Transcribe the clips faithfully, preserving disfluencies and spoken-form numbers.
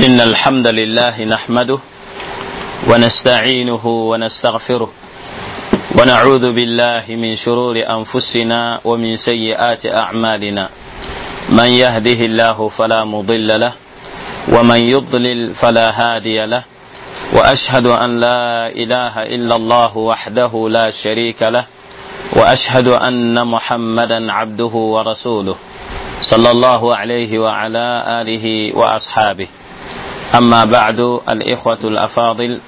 إن الحمد لله نحمده ونستعينه ونستغفره ونعوذ بالله من شرور أنفسنا ومن سيئات أعمالنا من يهده الله فلا مضل له ومن يضلل فلا هادي له وأشهد أن لا إله إلا الله وحده لا شريك له وأشهد أن محمدا عبده ورسوله صلى الله عليه وعلى آله وأصحابه أما بعد الإخوة الأفاضل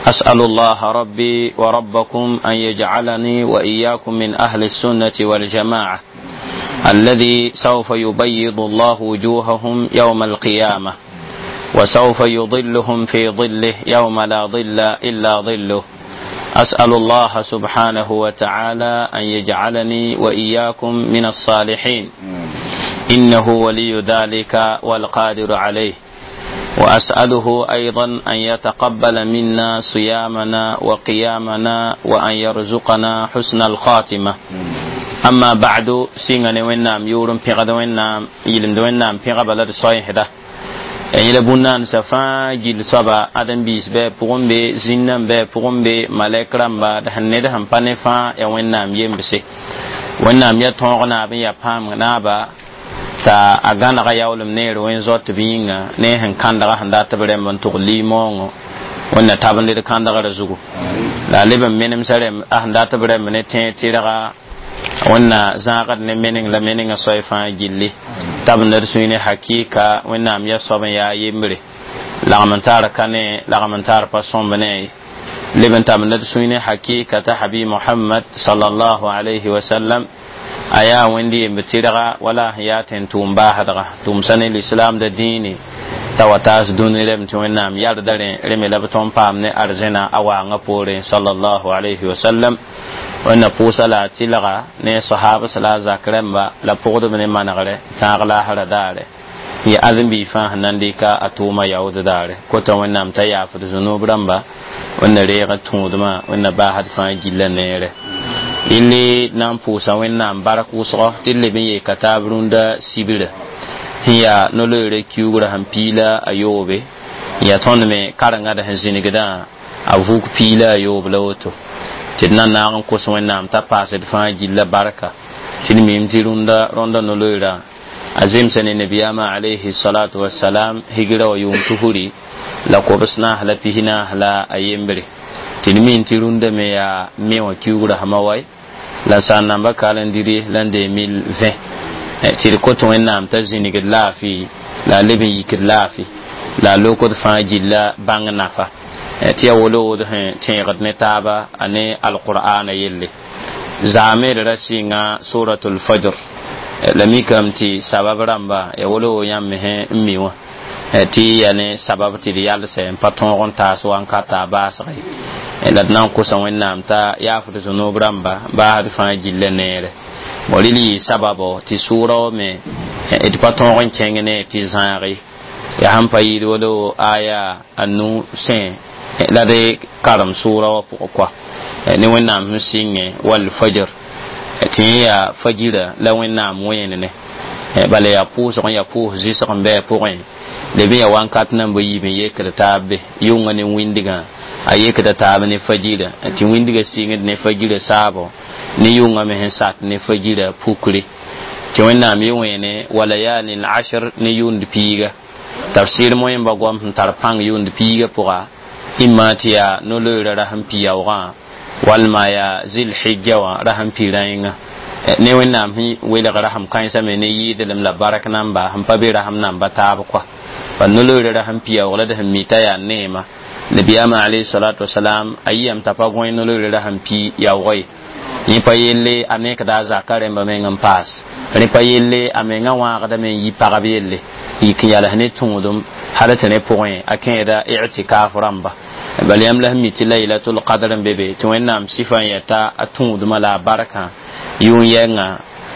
أسأل الله ربي وربكم أن يجعلني وإياكم من أهل السنة والجماعة الذي سوف يبيض الله وجوههم يوم القيامة وسوف يظلهم في ظله يوم لا ظل إلا ظله أسأل الله سبحانه وتعالى أن يجعلني وإياكم من الصالحين إنه ولي ذلك والقادر عليه وأسأله أيضا أن يتقبل منا صيامنا وقيامنا وأن يرزقنا حسن الخاتمة أما بعد سيغني وينام يورم بيغد وينام يلم وينام بيغ بلد صحيح ده yẽla bũn-naandsã fãa gill soaba ãdem-biis bɩ pʋgẽ be zĩnnã bɩ pʋgẽ be malɛk rãmba d sẽn ned sẽn pa ne fãa yaa wẽnnaam yembse wẽnnaam yaa tõog naab n yaa pãamg naaba t'a a gãnega yaoolem neer wẽn-zoat b yĩnga ne sẽn kãndga sẽn dat b rẽmb n tʋg limoongõ wẽnna tab n led kãndgrã zugu la a leb n menemsa rẽmb a sẽn dat b rẽmb ne tẽeg tɩrga wẽnna zãagd ne meneng la menengã soay fãa gilli tab n d sũy ne hakika wẽnnaam yaa soab n yaa yembre lagm n tar ka ne lagm n tar pa sõmb ne leb n tab n d sũy ne hakika t'a habi mohamad sallallahu alayhi wa sallam a yaa wẽnd yemb tɩrga wala sẽn yaa tẽn-tʋʋm baasdga tʋʋmsã ne lislaamda dĩine t'a wa taas dũni rem tɩ wẽnnaam yalda rẽ reme la b tõnd paam ne arzẽna a waangã poorẽ sallallahu alayhi wa sallam wẽnna pʋʋsa la a tɩlga ne sahabs la a zak rẽmba la pʋgdb ne manegre tãag laasra daare n yã ãdem-biig fãa sẽn na n dɩka a tʋʋma yaood daare kota wẽnnaam t'a yaafd zũnub rãmba wẽnna reeg tũudmã wẽnna baasd fãa gilla neere yelle na n pʋʋsa wẽnnaam bark wʋsgo tɩ d leb n yeeka taab rũndã sibra sẽn yaa no-loeera kiugrã sẽn piila a yoobe n yaa tõnd me karengã d sẽn zĩnigdã a vug piila a yoob la woto tɩ d na naag n kos wẽnnaam t'a paasd fãa gilla barka tɩ d mim tɩ rũndã rõndã no-loeerã a zemsa ne nabiyaamã alayhi salatu wasalam higra wa yʋʋm tusri la kobs naas la pis naas la a yembre tɩ d min tɩ rũndã me yaa me wã kiugrã sãma wae la sã n namba calendrier la n deux mille vingt tɩ d kot wẽnnaam t'a zĩnigd laafɩ la a leb n yikd laafɩ la a lokd fãa gilla bãng nafa tɩ yaa wolowd sẽn tẽegd ne taaba a ne alqur'ana yelle zaame d ra sɩnga suratul fajr la mikame tɩ sabab rãmba ya wolowo yãmb me n mi wã tɩ ya ne sabab tɩ d yalsɛ n pa tõog n taas wankata a baasge la d na n kosa wẽnnaam t'a yaafd zũnub rãmba baasd fãa gilla neere bo rɩl yɩ sababo tɩ sʋʋra wã me d pa tõog n kẽng ne tɩ zãage yaa sãn pa yɩɩd wolo aya a nu sẽ la d karem sʋʋra wã pʋgẽ koa ne wẽnnaam sẽn sɩngẽ wall fajr tɩ yẽ yaa fajira la wẽnnaam wẽene bala yaa pʋʋsg n yaa pʋʋs zɩsg n bɩ a pʋgẽ leb n yaa wankat nan bɩ yiib n yekd taab be yʋngã ne wĩndgã a yekda taab ne fajira tɩ wĩndgã sɩngd ne fajira saabo ne yʋngã me sẽn sat ne fajira pukre tɩ wẽnnaam yɩ wẽene walayalin ashr ne yʋʋnd piiga tafsir moẽmba goam sẽn tar pãng yʋʋnd piiga pʋga imma tɩ yaa no-loeera rasẽn pi yaoogã walma yaa zilhijja wã rasẽn pi rãenga ne wẽnnaam sẽn welg rasem kãensã me ne yɩɩdlem la bark namba sẽn pa be rasem namba taab koa pa no-loeera rasẽn pi yaoog la d sẽn mi t'a yaa neema nabiyaamã alayhi salatu wasalam a yiyame t'a pa gõe no-loeera rasẽn pi yaoog ye yẽ pa yelle a nekda a zaka rẽmba meng n paas rẽ pa yelle a mengã wãagdame n yi pagb yelle yik n yals ne tũudum hal tɩ rẽ pʋgẽ a kẽeda i'tikaf rãmba bal yãmb la sẽn mi tɩ laylatul qadr n be be tɩ wẽnnaam sɩfã n yɛta a tũudmã la a barkã yʋʋn yɛngã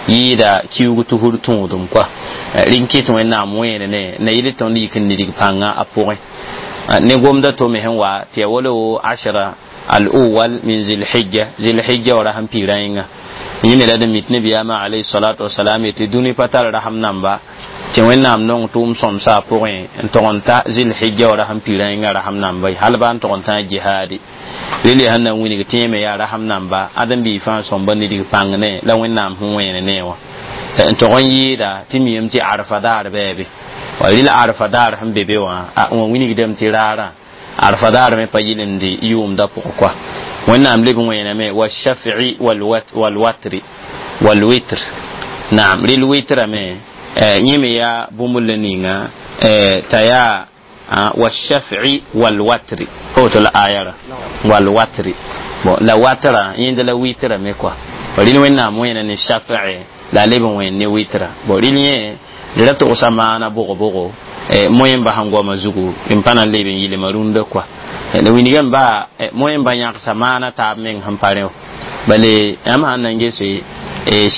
yɩɩda kiuug tusr tũudum koa rɩ n kɩt wẽnnaam wẽene ne na yɩl tõnd yik n nidg pãngã a pʋgẽ ne gomda to me sẽn wa tɩ ya wolo ashra al-awwal min zilhijja zilhijja wa rasẽn pi rãenga yẽ me la d mit nabiyaamã alayhi salatu wasalam yetɩ dũni pa tar rasem namba Tɩ Wẽnnaam nong tʋʋm sõmsa a pʋgẽ n tog n ta zilhijja wa rasem piirã yẽnga rasem namba hal baa n tog n tã jihaadi rel yaa sẽn na n wilg tẽeme yaa rasem namba ãdem-biig fãa sõmba nidg pãng ne la Wẽnnaam sẽn wẽene ne wã n tog n yɩɩda tɩ miyame tɩ arfa daar bɩ be wa rel arfa daar sẽn be be wã a wã wilgdame tɩ raarã arfa daar me pa yɩlendi yʋʋmda pʋgẽ koa Wẽnnaam leb n wẽename washaf'i walwatri walwitr naam rel witrame yẽ me yaa bũmb la ninga t'a yaa washaf'i walwatri pa woto la ayara walwatri bon la watra yẽnda la witra me koa rel Wẽnnaam wẽena ne shaf'i la a leb n wẽen ne witra bon rel yẽ d ra togsa maana bʋg-bʋgo moẽmba sẽn goama zugu n pa na n leb n yɩlma rũndã koa la wilgame baa moẽmba yãgsa maana taab meng sẽn pa rẽ bale yãmb sãn na n gese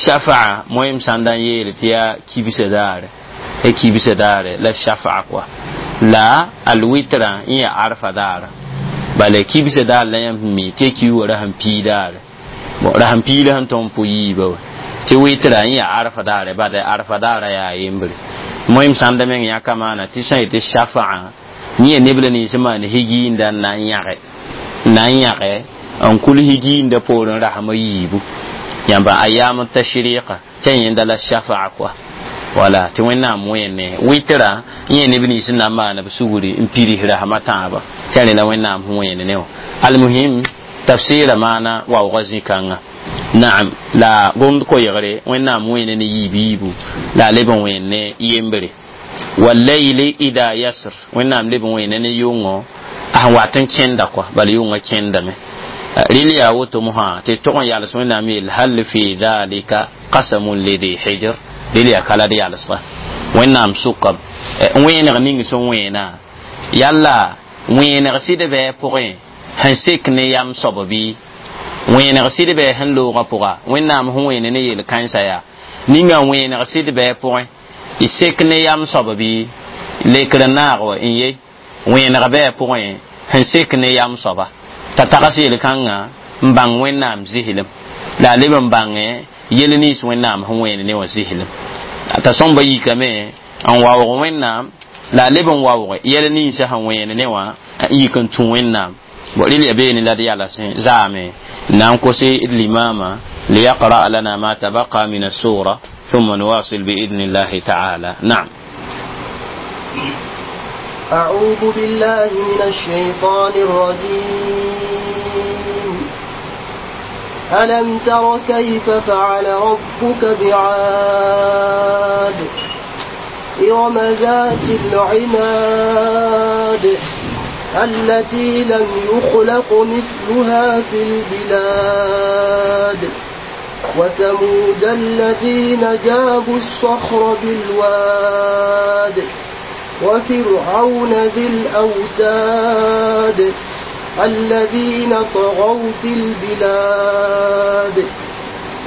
shafa'a moẽm sãn da n yeel tɩ yaa kibsã daare kibsã daare la shafa'a koa la alwitra n yaa arfa daara bala kibsã daar la yãmb mi tɩ ki wa rasem pii daare bon rasem pii la sẽn tõng pʋ yiiba wa tɩ witra n yaa arfa daare bada arfa daara yaa yembre moẽm sãn da meng yãka maana tɩ sã yetɩ shafa'a yẽ neb la nins maan higiinda n na n yãge n na n yãge n kul higiinda poorẽ rasmã yiibu yãmba ayam tashriqa tɩ yẽnda la shafa'a koa wala tɩ Wẽnnaam wẽene witra yẽ neb nins n na n maan b sugri n pirs rasmã tãabã tɩ rẽ la Wẽnnaam sẽn wẽene ne wã almuhim tafsɩɩra maana waoogã zĩ-kãnga naam la gomd koɛɛgre Wẽnnaam wẽene ne yiib yiibu la a leb n wẽen ne yembre wallayli ida yasr Wẽnnaam leb n wẽene ne yʋngõ a sẽn wat n kẽnda koa bala yʋngã kẽndame rel yaa woto mosã tɩ tog n yals Wẽnnaam yeel hal fi dhalika qasamun lidi hijr rel yaa ka la d yalsga Wẽnnaam sʋka wẽeneg ning sẽn wẽena yalla wẽeneg sɩd bɩ pʋgẽ sẽn sek ne yam soab bɩ wẽeneg sɩd bɩ sẽn loogã pʋga Wẽnnaam sẽn wẽene ne yel-kãensã yaa ninga wẽeneg sɩd bɩ pʋgẽ y sek ne yam soab bɩ lekr n naag wa n ye wẽeneg bɩ pʋgẽ sẽn sek ne yam soaba t'a tags yel-kãngã n bãng Wẽnnaam zɩslem la a leb n bãngẽ yel nins Wẽnnaam sẽn wẽene ne wã zɩslem t'a sõmba yikame n waoog Wẽnnaam la a leb n waoog yɛl ninsã sẽn wẽene ne wã n yik n tũ Wẽnnaam bon rel ya beene la d yalasẽ zaame na n kose d limama liyaqra lana ma tabaqa min assura ثم نواصل بإذن الله تعالى. نعم. أعوذ بالله من الشيطان الرجيم. ألم تر كيف فعل ربك بعاد إرم ذات العماد التي لم يخلق مثلها في البلاد وثمود الذين جابوا الصخر بالواد وفرعون ذي الأوتاد الذين طغوا في البلاد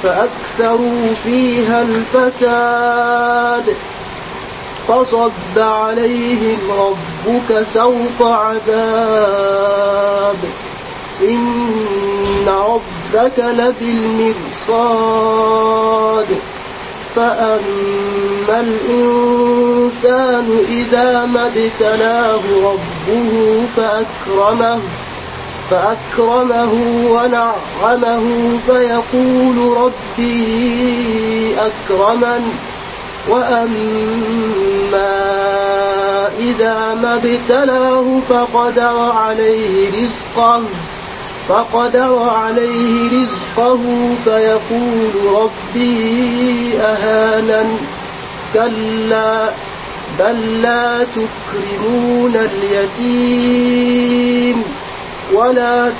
فأكثروا فيها الفساد فصب عليهم ربك سوط عذاب إن ربك لبالمرصاد. فأما الإنسان إذا ما ابتلاه ربه فأكرمه فأكرمه ونعمه فيقول ربي أكرمن. وأما إذا ما ابتلاه فقدر عليه رزقه فقدر عليه رزقه فيقول ربي أهانن. كلا بل لا تكرمون اليتيم ولا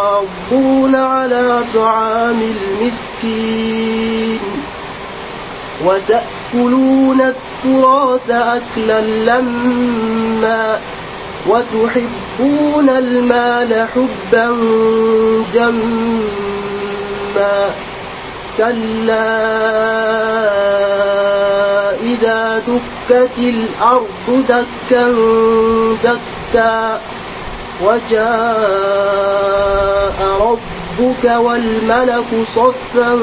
تحاضون على طعام المسكين وتأكلون التراث أكلا لما وتحبون المال حبا جما. كلا إذا دكت الأرض دكا دكا وجاء ربك والملك صفا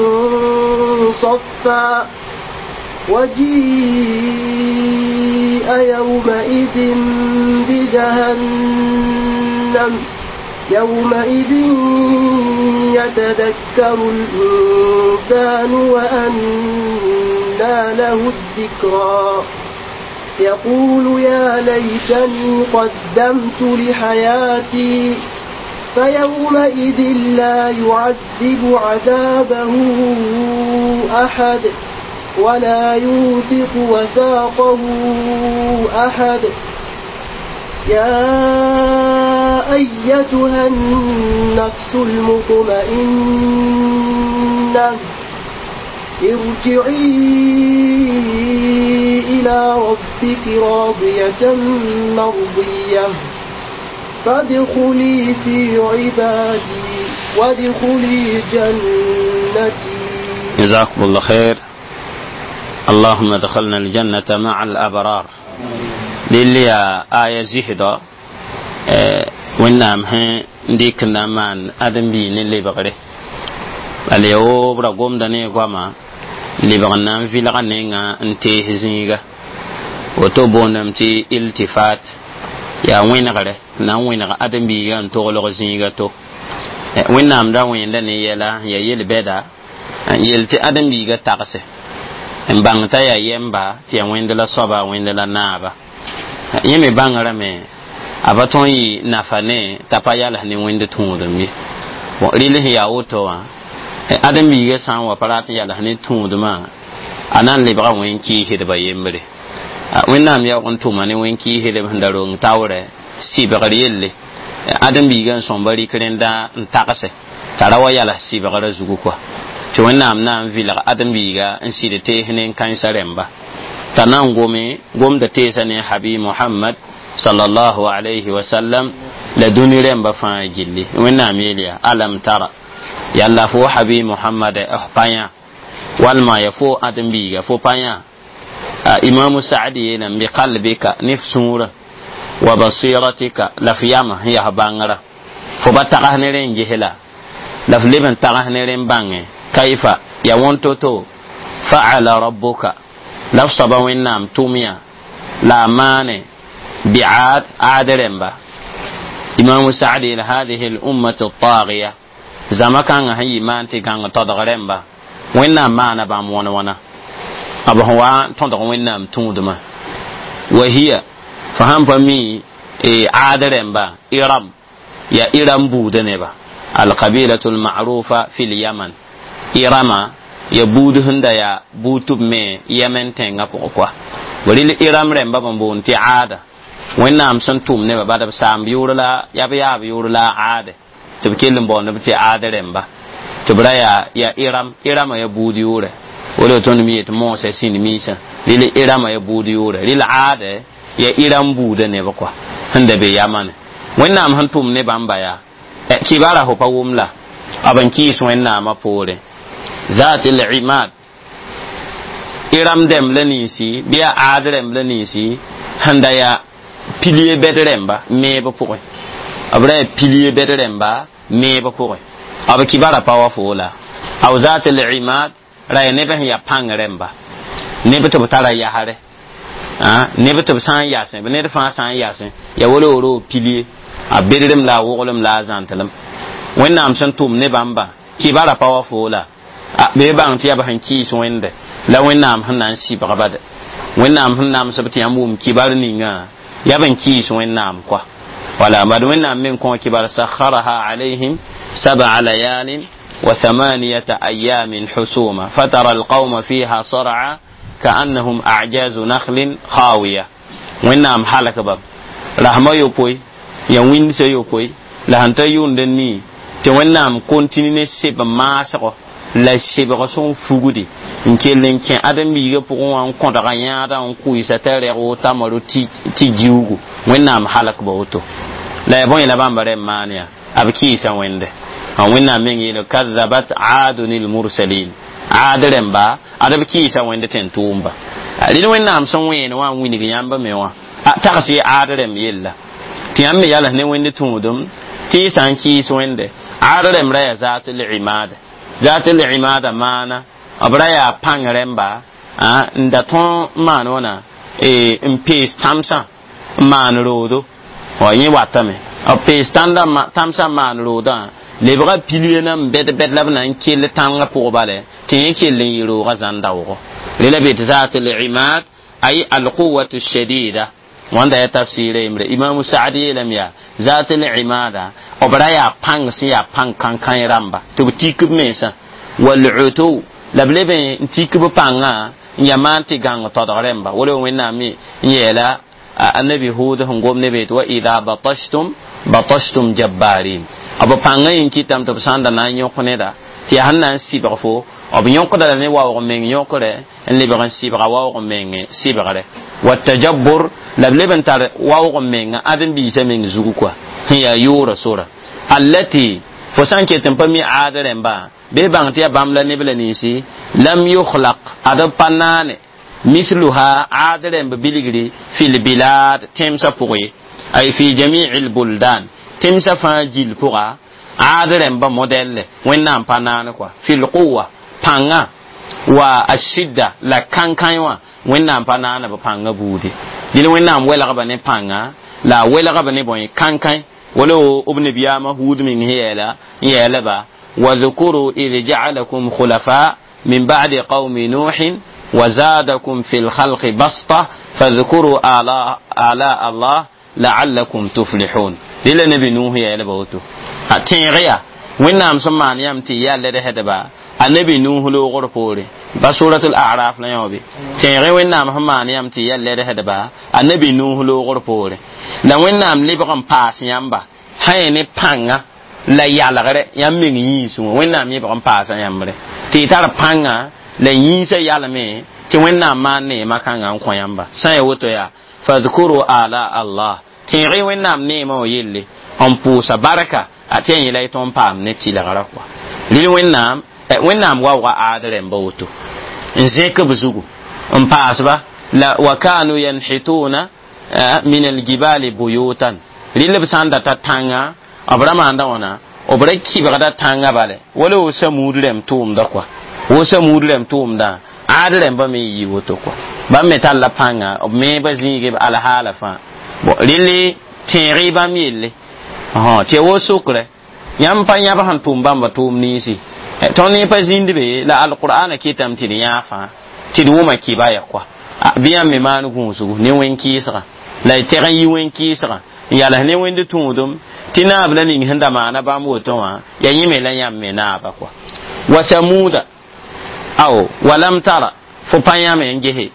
صفا. وجيء يومئذ بجهنم يومئذ يتذكر الإنسان وأنى له الذكرى يقول يا ليتني قدمت لحياتي فيومئذ لا يعذب عذابه أحد ولا يوثق وثاقه أحد يا أيتها النفس المطمئنة ارجعي إلى ربك راضية مرضية فادخلي في عبادي وادخلي جنتي. جزاكم الله خير. اللهم ادخلنا الجنة مع الأبرار. للي آية زهدة wẽnnaam sẽn dɩk n na n maan ãdem-biig ne lebgre bala yaa woo b ra gomda ne goama lebg n na n vɩlga nenga n tees zĩiga woto boondame tɩ iltifat yaa wẽnegre na n wẽneg ãdem-biigã n toglg zĩiga to wẽnnaam da wẽnda ne yɛla n yaa yel-bɛda n yel tɩ ãdem-biigã tagse n bãng t'a yaa yɛmba tɩ yaa wẽnd la soaba wẽnd la naaba yẽ me bãngrame a pa tõe n yɩ nafa ne t'a pa yals ne wẽnd tũudem ye bon rɩl sẽn yaa woto wã ãdem-biigã sã n wa pa rat n yals ne tũudmã a na n lebga wẽn-kɩɩsdbã yembre wẽnnaam yaoog n tʋma ne wẽn-kɩɩsdb sẽn da rong taoorɛ sɩbgr yelle ãdem-biigã n sõmba rɩk rẽnda n tagse t'a ra wa yals sɩbgrã zugu kɔa tɩ wẽnnaam na n vɩlg ãdem-biiga n sɩd tees ne n kãensa rẽmba t'a na n gome gomda teesã ne habi Muhammad sallallahu alayhi wa sallam la dũni rẽmba fãa gilli wẽnnaam yeel yaa alam tara yalla fo habi Muhammad f pa yã walma ya fo ãdem-biiga fo pa yã imamu saadi yeelame bi qalbika ne f sũurã wa basiratika la f yama sẽn yaa bãngrã fo ba tags ne rẽ n ges la la f leb n tags ne rẽ n bãnge kaifa ya wõn to-to fa'ala rabbuka la f soaba wẽnnaam tʋm yã la a maane bi'ad aad rẽmba imamu saadi yeel hadihi l-ummatu at-taghiya zama kãngã sẽn yɩ maan tɩ gãng todg rẽmba wẽnnaam maana bãmb wãn wãna b sẽn wa tõdg wẽnnaam tũudmã wa hiya fo sãn pa mi aad rẽmba iram ya iram buudã neba alqabilatu lmarufa fi lyaman irama ya buud sẽn da yaa buud tɩ b me yemen tẽngã pʋgẽ koa rɩl iram rẽmba b n boond tɩ aada wẽnnaam sẽn tʋm nebã bad b saamb yʋʋr la yaa b yaab yʋʋr la aade tɩ b kell n baoond b tɩ aad rẽmba tɩ b ra yaa ya iram irama ya buud yʋʋrɛ wala tõnd me yet moosã sĩnd miisã rɩl irama ya buud yʋʋrɛ rɩl aade ya iram buudã neb kɔa sẽn da be yamane wẽnnaam sẽn tʋm ne bãmba yaa kibara fo pa wʋm la b n kɩɩs wẽnnaamã poorẽ ذات العماد iram dɛm la ninsi bɩ yaa aad rẽmb la ninsi sẽn da yaa pilie bɛd rẽmba meeb pʋgẽ b ra yaa pilie bɛd rẽmba meeb pʋgẽ b kibara pa wa foo la aw zat al-imad ra yaa neb sẽn yaa pãng rẽmba neb tɩ b tara yasrɛ neb tɩ b sã n yasẽ ned fãa sã n yasẽ ya wala pilie a bedrem la a woglem la a zãntlem wẽnnaam sẽn tʋm ne bãmba kibara pa wa foo la bee bãng tɩ yaa b sẽn kɩɩs wẽnde la wẽnnaam sẽn na n sɩbg bade wẽnnaam sẽn namsb tɩ yãmb wʋm kibar ninga yaa b n kɩɩs wẽnnaam kɔa wala bad wẽnnaam me n kõ kibar sakharaha alayhim sab'a layalin wa thamaniyata ayamin husuma fatara alqawma fiha sar'a ka'annahum a'jazu nakhlin khawiya wẽnnaam halk bam rasma yopoe ya wĩndsa yopoe la sẽn ta yʋʋnd n nii tɩ wẽnnaam kontini ne seb maasgo la sebg sẽn fugdi n kell n kẽ ãdem-biigã pʋgẽ wã n kõdga yãadã n kʋɩsa t'a rɛg tamaro tɩ giuugu wẽnnaam halk ba woto la ya bõe la bãmba rẽm maan yaa b kɩɩsa wẽnde wẽnnaam meng yeele kadzabat aadun lmursalin aad rẽmba ad b kɩɩsa wẽnd tẽn tʋʋmba rɩl wẽnnaam sẽn wẽen wã n wilg yãmb me wã tags ye aad rẽmb yella tɩ yãmb me yals ne wẽnd tũudem tɩ y sã n kɩɩs wẽnde aad rẽmb ra yaa zaat l imad zaat l imada maana b ra yaa pãng rẽmba n da tõe n maan wãna n pees tãmsã n maan roodo wa yẽ watame b pees tãmsã n maan roodã lebga pilie nan bɛd bɛd la b na n kell tãngã pʋg bale tɩ yẽ kell n yɩ roogã zãn daoogo rela be tɩ zaat al-imad ay al-quwwatu shadida wãnda ya tafsɩɩra yembre imamu saad yeelame yaa zaat al-imada b ra yaa pãng sẽn yaa pãng kãn-kãe rãmba tɩ b tik b mensã wal-utu la b leb n tik b pãngã n yaa maan tɩ gãng todg rẽmba wala wẽnnaam me n yeela annabi hud sẽn gom ne be tɩ wa ida batashtum batashtum jabbarin b pãngã yĩn kɩtame tɩ b sã n da na n yõk neda tɩ yaa sẽn na n sɩbg fo b yõkda la ne waoog meng yõkre n lebg n sɩbga waoog meng sɩbgre wa tajabbur la b leb n tar waoog menga ãdem-biisã meng zugu koa sẽn yaa yʋʋra sora allati fo sã n ket n pa mi aad rẽmba bɩ bãng tɩ yaa bãmb la neb la ninsi lam yukhlaq ad b pa naane misluha aad rẽmb bilgri fi lbilad tẽmsã pʋgẽ ye ay fi jami'i lbuldan tẽmsã fãa gill pʋga aad rẽmba modɛlle wẽnnaam pa naan kɔa fi lquwa pãnga wa ashidda la kãn-kãe wã wẽnnaam pa naana b pãngã buudi dɩl wẽnnaam welgba ne pãnga la a welgba ne bõe kãn-kãe wala b nabiyaamã huud meng sẽn yeela n yeela ba واذكروا إذ جعلكم خلفاء من بعد قوم نوح وزادكم في الخلق بسطة فاذكروا آلاء, آلاء الله لعلكم تفلحون للا نبي نوح يا لبوتو تيغيا وين سمان يمتي يا لدهدبا النبي نوح لو غرفوري بسورة الأعراف لا يوبي تيغي وين نام مان يمتي يا لدهدبا النبي نوح لو غرفوري لا وين نام لبغم باس يامبا هاي pãnga la yalgre yãmb meng yĩnsẽ wã wẽnnaam yẽ bg n paasa yãmbre tɩ y tar pãnga la yĩnsã yalme tɩ wẽnnaam maan neemã kãngã n kõ yãmba sã n ya woto yaa fadkuru ala allah tẽeg-y wẽnnaam neemã wã yelle n pʋʋsa barka a tɩ ya yẽla y tõnd paam ne tɩlgrã kɔa rɩl wẽnnaam wẽnnaam waooga aad rẽmba woto n zẽk b zugu n paasba la wa kanu yanhituna min aljibali buyutan rɩl b sã n data tãnga b ra maanda wãna b ra kɩbgda tãngã bale wala wo samuud rẽmb tʋʋmda kɔa wo samuud rẽmb tʋʋmdã aad rẽmba me yɩ woto kɔa bãmb me talla pãnga b meeba zĩige b alhaala fãa bon rɩl tẽeg-y bãmb yelle tɩ ya wo sokrɛ yãmb pa yãb sẽn tʋʋm bãmba tʋʋm ninsi tõnd ne pa zĩnd be la alqur'ana kɩtame tɩ d yãag fãa tɩ d wʋma kɩba ya kɔa bɩ yãmb me maan gũusgu ne wẽn-kɩɩsgã la y tɛg n yi wẽn-kɩɩsgã n yals ne wẽnd tũudum tɩ naab la ning sẽn da maana bãmb woto wã ya yẽ me la yãmb me naaba kɔa wa samuuda aw walam tara fo pa yãme n gese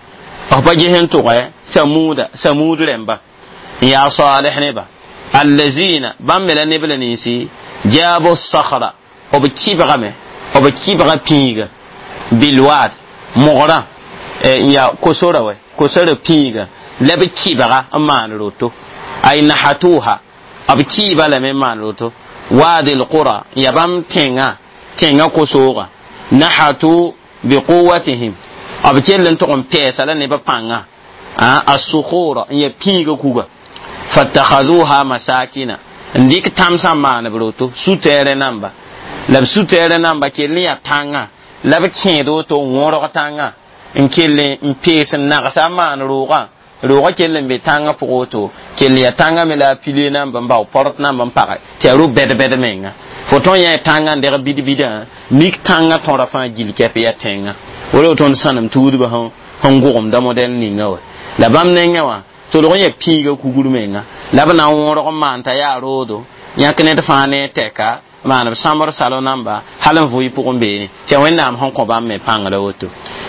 f pa ges n tʋgɛ samuuda samuud rẽmba n yaa saleh neba allazina bãmb me la neb la ninsi jaabu sakhra b kɩbgame b kɩbga pĩiga bilwad mogrã n yaa kosora wɛ kosora pĩiga la b kɩbga n maan roto ay nahatuha b kɩɩba lame n maan roto wadi lqura n yaa bãmb tẽngã tẽngã kosooga nahatu biquwatihim b kell n tʋg n pɛɛsa la neb pãngã assukhura n yaa pĩiga kuga fatakhaduha masakina n dɩk tãmsã n maan b roto su-tɛɛrẽ namba la b su-tɛɛrẽ namba kell n yaa tãngã la b kẽed woto n wõrg tãngã n kell n pees n nagsa n maan roogã roogã kell n be tãngã pʋgẽ woto kell yaa tãngã me la a pile namba n bao port namba n page tɩ yaa ro-bɛd-bɛd menga fo tõn yã tãngã n deg bid-bidã mik tãngã tõra fãa gil kɛp yaa tẽngã wala tõnd sãnem tuudbã sẽn gʋgemda modɛl ninga wa la bãmb nengẽ wã tolg n yaa pĩiga kugr menga la b na n wõrg n maan t'a yaa roodo yãk ned fãa ne tɛka maan b sãmbr salo namba hal n vʋɩ pʋgẽ beene tɩ yaa wẽnnaam sẽn kõ bãmb me pãngrã woto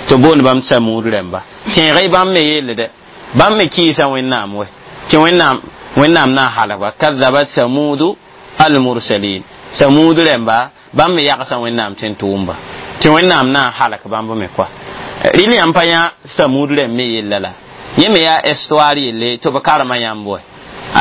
tɩ boond bãmb samuud rẽmba tẽeg-y bãmb me yelle dɛ bãmb me kɩɩsa wẽnnaam wɛ tɩ wẽnnaam wẽnnaam na n halgba kadabat samuudu almursalin samuud rẽmba bãmb me yagsa wẽnnaam tɩ n tʋʋmba tɩ wẽnnaam na n halk bãmb me kɔa rɩl yãmb pa yã samuud rẽmb me yella la yẽ me yaa histoire yelle tɩ b karema yãmb wɛ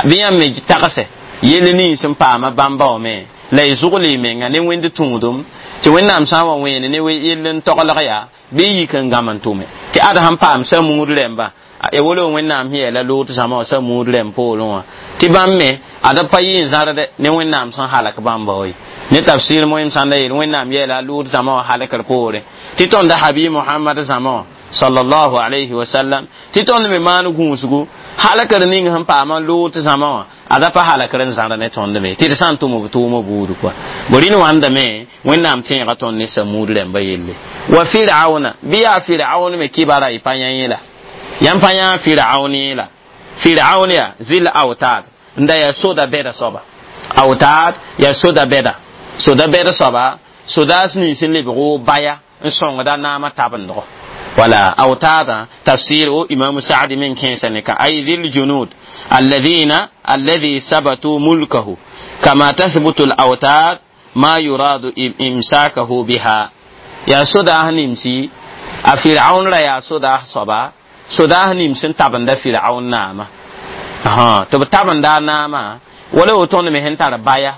bɩ yãmb me tagsɛ yell nins n paama bãmba wã me la y zʋgl y menga ne wẽnd tũudum tɩ wẽnnaam sã n wa wẽene ne yell n toglg yaa bɩ y yik n gãm n tʋme tɩ ad sẽn paam samuud rẽmba ya wolo wẽnnaam sẽn yeela loot zãma wã samuud rẽmb poorẽ wã tɩ bãmb me ad b pa yɩ n zãrde ne wẽnnaam sẽn halk bãmba wa ye ne tafsir moem sãn da yeel wẽnnaam yeela loot zãma wã halkr poorẽ tɩ tõnda habi mohamad zãma wã Sallallahu alayhi wa sallam tɩ tõnd me maan gũusgu halakr ning sẽn paama Loot zãma wã ada pa halakr n zãr ne tõnd me tɩ d sã n tʋm b tʋʋmã buud kɔa bo rĩn wãndame Wẽnnaam tẽega tõnd ne Samud rãmba yelle wa Firauna bɩ yaa Firaun me kibara y pa yã yẽla yãmb pa yã Firaun yẽla Firaun yaa zil autad n da yaa soda bɛda soaba autad yaa soda bɛda soda bɛd soaba sodaas nins n lebg wo baya n sõngda naamã tabendgo wala autada tafsir o Imam Sa'di min kẽesa ne ka ay dhil junud alladhina alladhi sabatu mulkahu kama tathbutu al-awtad ma yuradu imsakahu biha ya sodaas nimsi a Firaun ra yaa sodaas soaba sodaas nims n tabenda Firaun naama tɩ b tabenda a naama wala woto tõnd me sẽn tar baya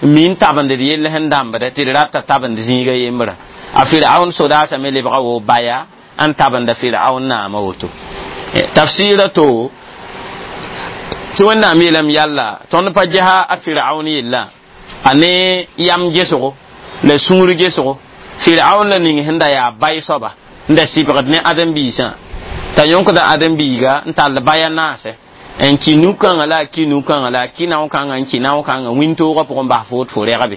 min tabend d yell sẽn dãmbda tɩ d rata tabend zĩiga yembra a Firaun sodaasã me lebga wo baya n tabenda Firaun naama woto tafsira to tɩ Wẽnnaam yeelame yalla tõnd pa gesa a Firaun yella a ne yam gesgo la sũur gesgo Firaun la ning sẽn da yaa bay soaba n da sɩbgd ne ãdem-biisã t'a yõkda ãdem-biiga n tall baya naasɛ n ki nu-kãngã la a ki nu-kãngã la a ki nao-kãngã n ki nao-kãngã wĩntoogã pʋgẽ bas fo tɩ fo rɛgbe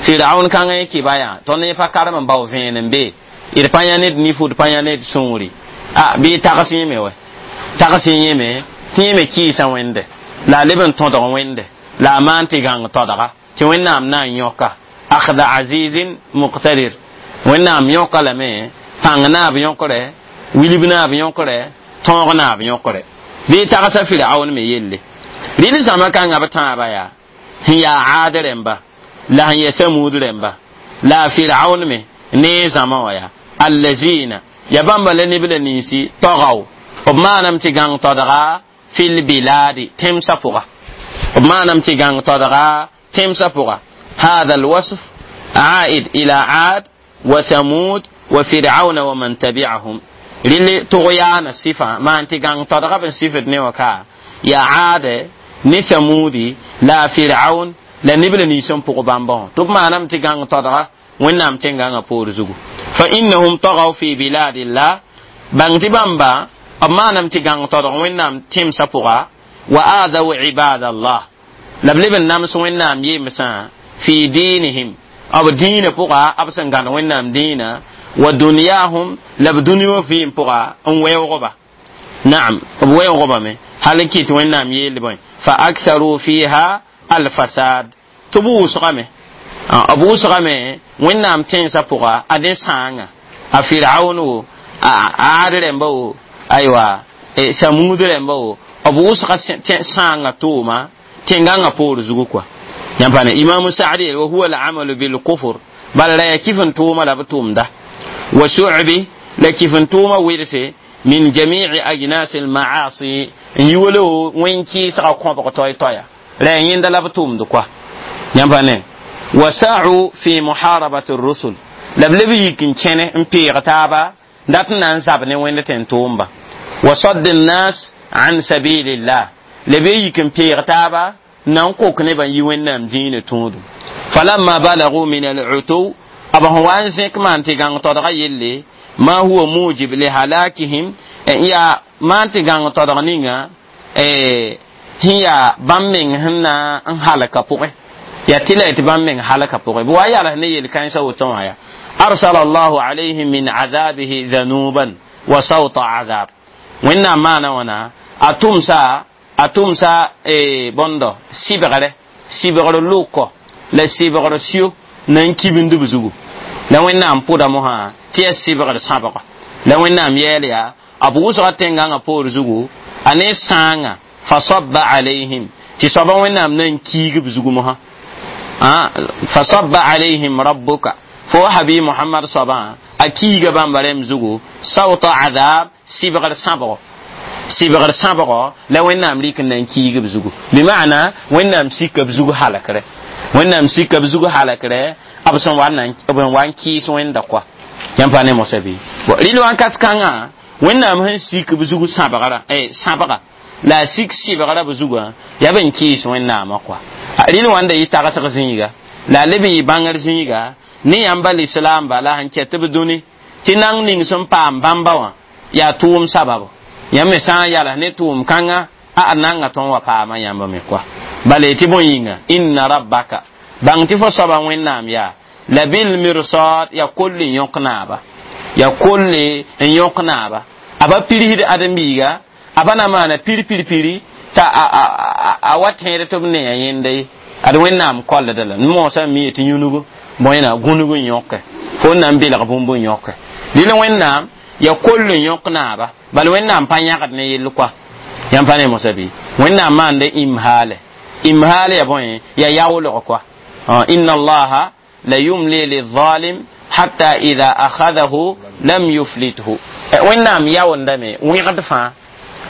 Firaun kãngã yẽ kɩba yaa tõnd yẽ pa karem n bao vẽen n be d pa yã ned nifu d pa yã ned sũuri a bɩ tags yẽme wɛ tags yẽme tɩ yẽ me kɩɩsa Wẽnde la a leb n tõdg Wẽnde la a maan tɩ gãng todga tɩ Wẽnnaam na n yõka akhda azizin muqtadir Wẽnnaam yõka lame pãng naab yõkre wilb naab yõkre tõog naab yõkre bɩ tagsa Firaun me yelle rɩl zãma kãngã b tãabã yaa sẽn yaa Aad rẽmba la sẽn yaa Samud rẽmba la a Firaun me ne zãma wã yaa allazina ya bãmba la neb la ninsi tɔgaw b maanam tɩ gãng todga fil biladi tẽmsã pʋga b maanam tɩ gãng todga tẽmsã pʋga hada alwasf عائد إلى عاد وثمود وفرعون ومن تبعهم rɩl tʋg-yaana sɩfã maan tɩ gãng todga b n sɩfd ne wã ka yaa Aade ne Samudi la a Firaun la neb la nins n pʋg bãmba wã tɩ b maanam tɩ gãng todga Wẽnnaam tẽngãngã poor zugu fa innahum tagaw fi biladillah bãng tɩ bãmba b maanam tɩ gãng todg Wẽnnaam tẽmsã pʋga wa aadaw ibadallah la b leb n nams Wẽnnaam yemsã fi dinihim b dĩinã pʋga b sẽn gãd Wẽnnaam dĩinã wa dunyahum la b dũni wã vɩɩm pʋga n weoogba naam b weoogba hal n kɩt Wẽnnaam yeel bõe fa aktharu fiha alfasad tɩ b wʋsgame b wʋsgame Wẽnnaam tẽnsã pʋga a dẽ sãanga a Firaun wo a Aad rẽmba wo aywa Samud rẽmba wo b wʋsga sãanga tʋʋma tẽngãngã poor zugu kɔa yãmb pa ne Imamu Sa'di wa huwa al-amalu bil kufr bala la ya kif n tʋʋma la b tʋʋmda wa shu'bi la kif n tʋʋma wɩdse min jami'i ajnas al-ma'asi n yi wala wẽn kɩɩsga kõbg toy-toya la ya yẽnda la b tʋʋmd kɔa yãmb pa ne wa sa'u fi muharabati rusul la b leb yik n kẽne n peeg taaba dat n na n zab ne Wẽnd tẽn tʋʋmba wa sadd nnas an sabilillah la b yik n peeg taaba na n kok nebã yi Wẽnnaam dĩinã tũudum falamma balagu min al-utuw b sẽn wa n zẽk maan tɩ gãng todga yelle ma huwa mujib li halakihim yaa maan tɩ gãng todg ninga sẽn yaa bãmb meng sẽn na n halka pʋgẽ yaa tɩ la tɩ bãmb meng halka pʋgẽ bɩ wa yals ne yel-kãensã woto wã yaa arsala allahu alayhim min azabihi dhanuban wa sawta azab Wẽnnaam maana wãna a tʋmsa a tʋmsa bõndo sɩbgre sɩbgr lʋkɔ la sɩbgr sio na n kibnd b zugu la Wẽnnaam pʋda mosã tɩ yaa sɩbgr sãbga la Wẽnnaam yɛɛl yaa b wʋsga tẽngãngã poor zugu a ne sãanga fa sabba alayhim tɩ soaba Wẽnnaam na n kiig b zugu mosã fa sabba alayhim rabbuka fo habi Muhammad soabã a kiiga bãmba rẽmb zugu sawta azab sɩbgr sãbgo sɩbgr sãbgo la Wẽnnaam rɩk n na n kiig b zugu bɩ maana Wẽnnaam sika b zugu halakre Wẽnnaam sika b zugu halakre b sẽn wa n wa n kɩɩs Wẽnda koa yãmb pa ne mosã bɩ rɩl wãnkat kãngã Wẽnnaam sẽn sik b zugu sãbgra sãbga la a sik sɩbgra b zugã yaa b n kɩɩs Wẽnnaamã koa rɩl wãnda yɩ tagsg zĩiga la a leb n yɩ bãngr zĩiga ne yãmba lislaamba la sẽn kɛt b dũni tɩ nang ning sẽn paam bãmba wã yaa tʋʋm sababo yãmb me sã n yals ne tʋʋm kãnga a nanga tõnd wa paama yãmb me kɔa bala tɩ bõe yĩnga inna rabbaka bãng tɩ fo soaba wẽnnaam yaa la bil mirsad ya koll n yõk naaba ya koll n yõk naaba a ba pirsd ãdem-biiga a pa na maana pir pir piri t'a a wa tẽed tɩ b neya yẽnda ye ad wẽnnaam kollda la moosã mi tɩ yũnugu bõena gũnug n yõke fo n na n belg bũmb n yõke dɩl wẽnnaam ya koll n yõk naaba bala wẽnnaam pa yãgd ne yell koa yãmb pa ne mosa bɩ wẽnnaam maanda imhaale imhaal ya bõe ya yaoolg koa inna allaha la yumli lizalim hatta ida akhadahu lam yuflithu wẽnnaam yaoondame wẽgd fãa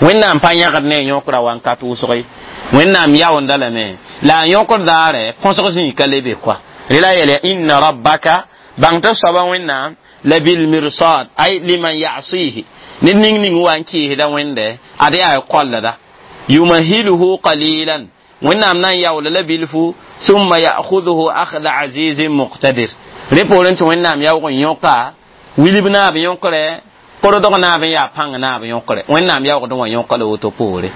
wẽnnaam pa yãgd ne yõkra wankat wʋsg wẽnnaam yaoonda lame la a yõkr daare põsg zĩig ka lebe koa rela yɛl inna rabbaka bãng tɩ soaba wẽnnaam la bilmirsad ay liman yasihi ned ning ning wa n kɩɩsda wẽnde ad yaa kollda yumahiluhu qalilan wẽnnaam na n yaoola la bilfu summa ya'khudhuhu akhda azizin muqtadir rẽ poorẽ tɩ wẽnnaam yaoog n yõka wilb naab yõkre korodg naab n yaa pãng naab yõkre wẽnnaam yaoogd wã yõka la woto poore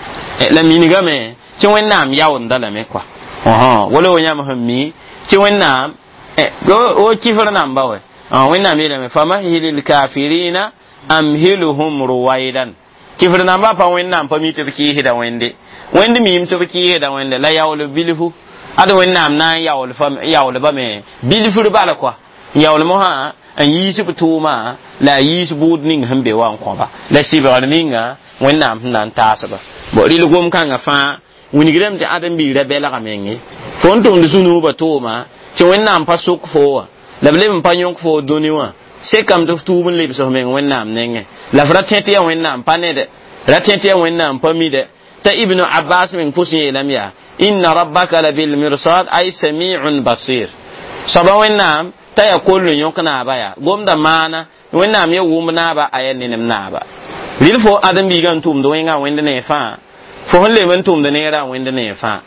la minigame tɩ wẽnnaam yaoonda lame kɔa wala wo yãmb sẽn mi tɩ wẽnnaam o kifr namba wɛ wẽnnaam yeelame famahil lkafirina amhiluhum ruwaidan kifr namba pa wẽnnaam pa mi tɩ b kɩɩsda wẽnde wẽnd miim tɩ b kɩɩsda wẽnde la yaool bilfu ad wẽnnaam na n yaoolbame bilfr bala kɔa yaool mosã n yiis b tʋʋma la a yiis bʋʋd ning sẽn be wa n kõba la sɩbgr ninga wẽnnaam sẽn na n taasba bo rɩl gom-kãngã fãa wilgdame tɩ ãdem-biigrã belga menge fo n tʋmd sũ-nuubã tʋʋma tɩ wẽnnaam pa sʋk fo wã la b leb n pa yõk fo dũni wã sekame tɩ f tuub n lebs f meng wẽnnaam nengẽ la f ra tẽ tɩ yaa wẽnnaam pa nede ra tẽ tɩ yaa wẽnnaam pa mide t'a ibnu abbas meng pʋs yeelame yaa inna rabbaka la bilmirsad ay samiun basir soaba wẽnnaam t'a yaa koll n yõk naaba yaa gomda maana wẽnnaam ya wʋmb naaba a yaa nenem naaba rɩl fo ãdem-biigã n tʋmd wẽngã wẽnd ne fãa fo sẽn leb n tʋmd neerã wẽnd ne fãa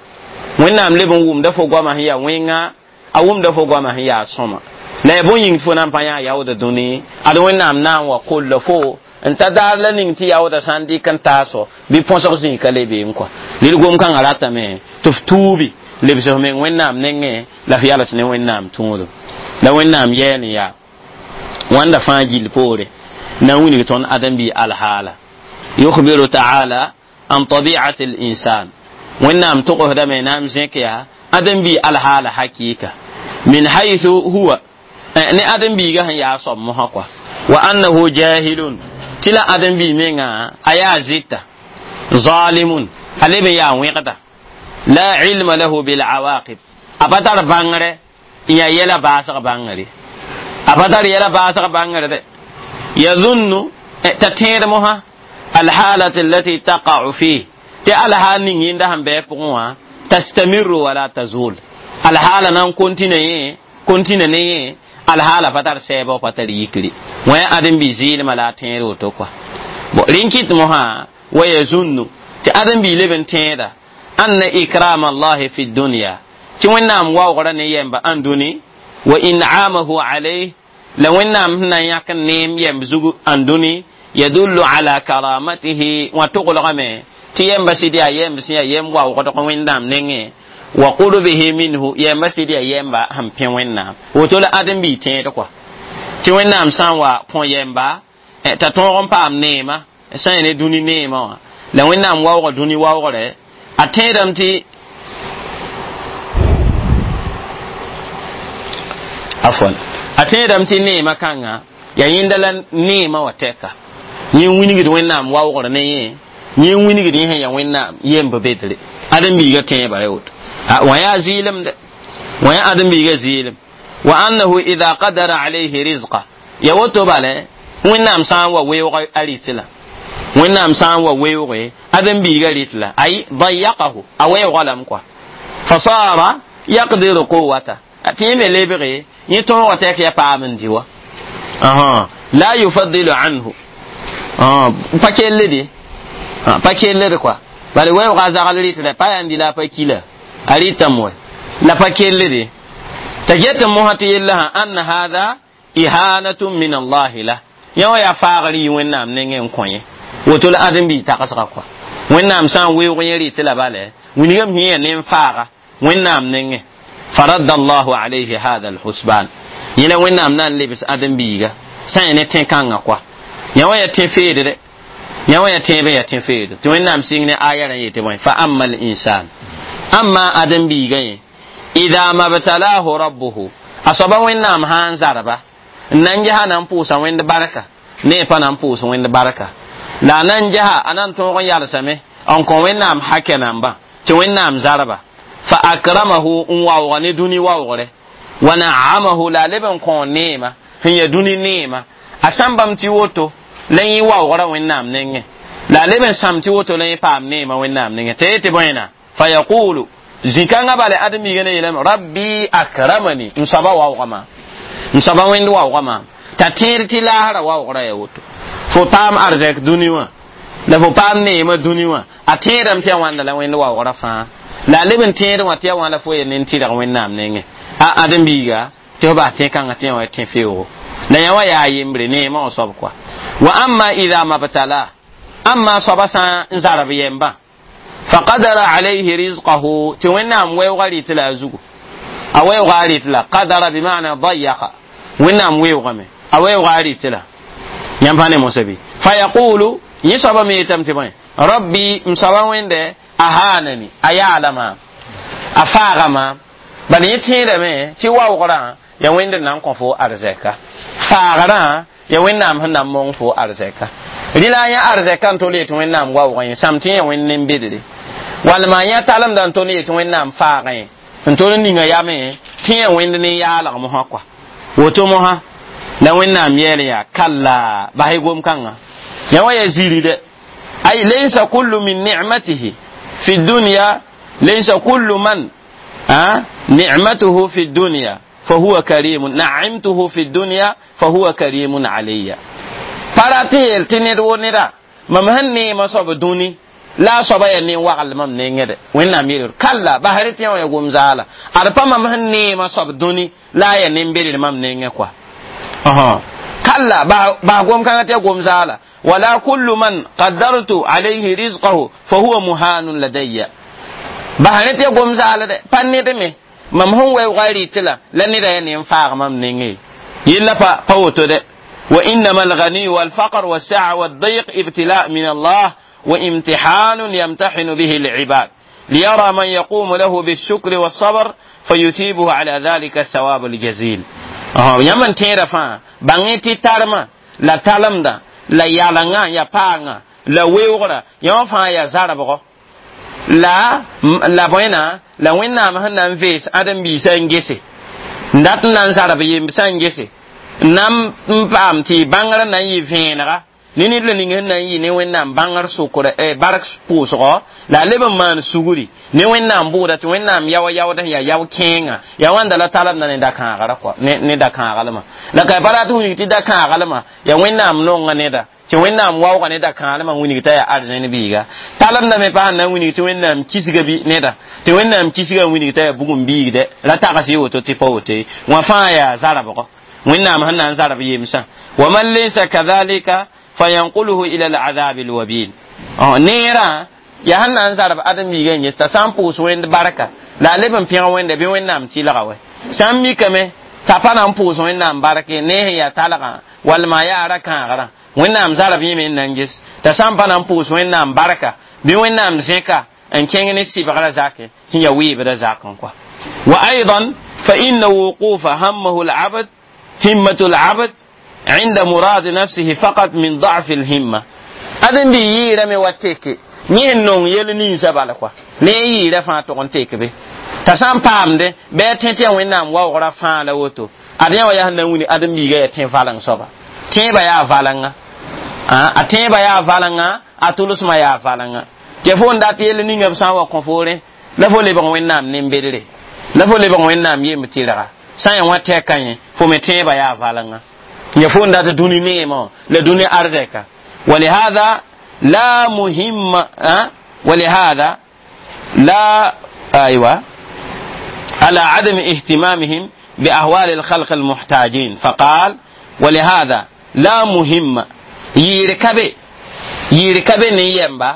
wẽnnaam leb n wʋmda fo goamã sẽn yaa wẽnga a wʋmda fo goamã sẽn yaa sõma la yaa bõe yĩng tɩ fo na n pa yã yaooda dũni ad wẽnnaam na n wa kolla fo n ta daar la ning tɩ yaooda sã n dɩk n taaso bɩ põsg zĩig ka le beem kɔa rɩl gom-kãngã ratame tɩ f tuubi lebs f meng wẽnnaam nengẽ la f yals ne wẽnnaam tũudum la wẽnnaam yɛɛl n yaa wãnda fãa gill poore na n wilg tõnd ãdem-bi alhaala yukhbiru taala an tabiati linsan wẽnnaam togsdame na n zẽk yaa ãdem-bi alhaala hakɩɩka min haythu huwa ne ãdem-biigã sẽn yaa soab mosã kɔa wa annahu jahilun tɩ la ãdem-bi menga a yaa zɩta zalimun a leb n yaa wẽgda la ilma lahu bilawaqib a pa tar bãngre n yaa yɛla baasg bãngre a pa tar yɛla baasg bãngre dɛ yadhunnu t'a tẽed mosã alhalat allati taqa'u fih tɩ alhaal ning yẽnda sẽn bɩ a pʋgẽ wã tastamiru wala tazul alhaala na n kontina yẽ kontina ne yẽ alhaala pa tar sɛɛbg pa tar yikri wã yaa ãdem-bi zɩɩlmã la a tẽed woto kɔa bon rẽn kɩt mosã wa yazunnu tɩ ãdem-bi leb n tẽeda anna ikrama allahi fi dunya tɩ wẽnnaam waoogrã ne yɛmba ãn dũni wa in'amahu alayh la wẽnnaam sẽn na n yãk n neem yɛmb zug ãn dũni yadullu ala karamatihi wã toglgame tɩ yɛmba sɩd yaa yɛmb sẽn yaa yɛmb waoogdg wẽnnaam nengẽ wa qurbihi minhu yɛmba sɩd yaa yɛmba sẽn pẽ wẽnnaam woto la ãdem-bi tẽed kɔa tɩ wẽnnaam sã n wa kõ yɛmba t'a tõog n paam neema sã n yaa ne dũni neemã wã la wẽnnaam waoogã dũni waoogre a tẽedame tɩ afwan a tẽedame tɩ neemã kãnga yaa yẽnda la neemã wã tɛka yẽ wilgd wẽnnaam waoogr ne yẽ yẽ wilgd yẽ sẽn yaa wẽnnaam yemb bedre ãdem-biigã tẽebã ya woto wã yaa zɩɩlem dɛ wã yaa ãdem-biigã zɩɩlem wa annahu ida qadara alayhi rizqa ya woto bala wẽnnaam sã n wa weoog a rɩt la wẽnnaam sã n wa weooge ãdem-biigã rɩt la ay dayaqahu a weoogã lame kɔa fasara yaqdiru quwata tɩ yẽ me lebge yẽ tõogã tɛk ya paam n dɩ wa la yufadilu anhu pa kell de pa kellde kɔa bala weoogã a zagl rɩt pa yaa n dɩ la a pa kila a rɩtame wɛ la pa kellde t'a get mosã tɩ yella sã anna hada ihanatun min allahi la Yã wã yaa faagr yɩ Wẽnnaam nengẽ n kõ yẽ woto la ãdem-biig tagsga kɔa. Wẽnnaam sã n weoog yẽ rɩ tɩ la bala wilgame sẽn yaa nen-faaga Wẽnnaam nengẽ. Faradda allahu alayhi hada alhusban, yẽ la Wẽnnaam na n lebs ãdem-biiga sã n ne tẽ-kãngã kɔa. Yã wã yaa tẽ-feedre, yã wã yaa tẽeb n yaa tẽ-feedr tɩ Wẽnnaam sɩng ne aya rã yetɩ bõe: fa amma al-insan, amma ãdem-biigã yẽ, ida mabtalahu rabbuhu, a soaba Wẽnnaam sã n zarba n na n gesa na n pʋʋsa Wẽnd barka, ne pa na n pʋʋs Wẽnd barka la a na n gesa a na n tõog n yalsame n kõ Wẽnnaam hakɛ nambã tɩ Wẽnnaam zarba, fa akramahu, n waooga ne dũni waoogre, wa naamahu, la a leb n kõ neema sẽn ya dũni neema. A sãn bãmb tɩ woto la yẽ waoogra Wẽnnaam nengẽ, la a leb n sãm tɩ woto la yẽ paam neema Wẽnnaam nengẽ tɩ yetɩ bõena: fa yaqulu, zĩ-kãngã bala ãdem-biigã ne yeelame: rabbi akramani, m soaba waoogã maam, m soaba Wẽnd waoogã maam. T'a tẽed tɩ laasra waoogrã ya woto fo paam arzɛk dũni wã la fo paam neemã dũni wã, a tẽedame tɩ ya wãnda la Wẽnd waoogrã fãa, la a leb n tẽed wã tɩ ya wã la fo ya nen-tɩrg Wẽnnaam nengẽ. A ãdem-biiga tɩ fo bas tẽ-kãngã tɩ yã wã tẽ-feoogo la yã wã yaa yembre neemã wã soab kɔa. Wa amma ida mabtala, amma soaba sã n zarb yembã, faqadara alayhi rizqahu, tɩ Wẽnnaam weoogã rɩtɩ la a zugu, a weoogã a rɩtɩ la, qadara bimana dayaqa, Wẽnnaam weoogame a weoogã a rɩtɩ la yãmb pa ne mosã bɩ, fa yaqulu, yẽ soaba me yetame tɩ bõe: rabbi, m soaba Wẽnde, ahanani, a yaala maam, a faaga maam. Bala yẽ tẽedame tɩ waoogrã ya Wẽnd n na n kõ fo arzɛka, faagrã ya Wẽnnaam sẽn na n mong fo arzɛka. Rɩla a yã arzɛka n tol yetɩ Wẽnnaam waoogã yẽ sãm tɩ yã Wẽnd nen-bedre, walma yã talemda n tol yetɩ Wẽnnaam faagã yẽ n tol n ninga yame tɩ yã Wẽnd nen-yaalg mosã kɔa. Woto mosã la Wẽnnaam yɛɛl yaa kalla bas-y gom-kãngã yã wã ya ziri dɛ. Ay laysa kullu min nicmatihi fi dunya, laysa kullu man nicmatuhu fi dunya fahuwa karimun, naimtuhu fi dunya fahuwa karimun alayya. Pa rat n yeel tɩ ned wo neda mam sẽn neemã soab dũni la a soaba yaa nen-wagl mam nengẽ dɛ. Wẽnnaam yeel kalla basr tɩ yã wã ya gom zaala ad pa mam sẽn neemã soab dũni la a yaa nen-bedr mam nengẽ kɔa. Kalla bas gom-kãngã tɩ ya gom zaala. Wala kullu man qaddartu alayhi rizqahu fahuwa muhanun ladayya, bas rẽ tɩ ya gom zaala dɛ pa ned me mam sẽn weoogã rɩtɩ la la neda yaa nen-faag mam nengẽ yella pa pa woto dɛ. وإنما الغني والفقر والسعة والضيق ابتلاء من الله وامتحان يمتحن به العباد ليرى من يقوم له بالشكر والصبر فيثيبه على ذلك الثواب الجزيل. يمن تيرا فا بانgi tarma la talamda la yalanga ya paanga la weogra yã fãa ya zarbgo la la bõena la Wẽnnaam sẽn na n vees ãdem-biisã n gese n dat n na n zarb yembsã n gese n na n paam tɩ bãngrã na n yɩ vẽenega ne ned la ning sẽn na n yɩ ne Wẽnnaam bãngr sʋkr bark pʋʋsgɔ la a leb n maan sugri ne Wẽnnaam bʋʋda tɩ Wẽnnaam yaoa yaood sẽn yaa yao-kẽengã yaa wãnda la talemda ne da-kãagrã kɔa ne da-kãaglmã la ka pa rat n wilg tɩ da-kãaglmã yaa Wẽnnaam nonga neda tɩ Wẽnnaam waooga ne da-kãaglmã wilg t'a yaa arzẽn biiga talemda me pa sẽn na n wilg tɩ Wẽnnaam kisga bɩ neda tɩ Wẽnnaam kisga n wilg t'a yaa bugum biigdɛ ra tags yɩ woto tɩ pa woto ye wã fãa yaa zarbgɔ Wẽnnaam sẽn na n zarb yemsã. Wa man laysa kadhalika fayanquluhu ila al'adab alwabil, neerã yaa sẽn na n zarb ãdem-biigã n ges t'a sã n pʋʋs Wẽnd barka la a leb n pẽg Wẽnda bɩ Wẽnnaam tɩlga wɛ sã n mikame t'a pa na n pʋʋs Wẽnnaam barke ne sẽn yaa talgã walma yaa ra-kãagrã Wẽnnaam zarb yẽme n na n ges t'a sã n pa na n pʋʋs Wẽnnaam barka bɩ Wẽnnaam zẽka n kẽng ne sɩbgrã zakẽ sẽn yaa weebdã zakẽ kɔa. Wa aidan fa inna wuqufa hammahu alabd همة العبد عند مراد نفسه فقط من ضعف الهمة. أدن بي ييرا مي واتيكي ني نون يل ني سبالا كوا ني ييرا فا تون تيك بي تسام پام دي بي تنتي وينام واورا فا لا ووتو أدن ويا هن وني أدن بي غا تين فالان سوبا تين با يا فالان ا تين با يا فالان ا تولس ما يا فالان كيفون دات يل ني ngam san wa konfore la fo le bon wẽnnaam nen-bedre la fo lebg Wẽnnaam yem tɩrga sã n yaa wã tɛka yẽ fo me tẽebã yaa valengã ya fo n dat dũni neemã la dũni arzɛka. ولهذا لا مهم أه؟ ولهذا لا أيوة على عدم اهتمامهم بأهوال الخلق المحتاجين. فقال ولهذا La muhimma yɩɩr ka be yɩɩr ka be ne yɛmba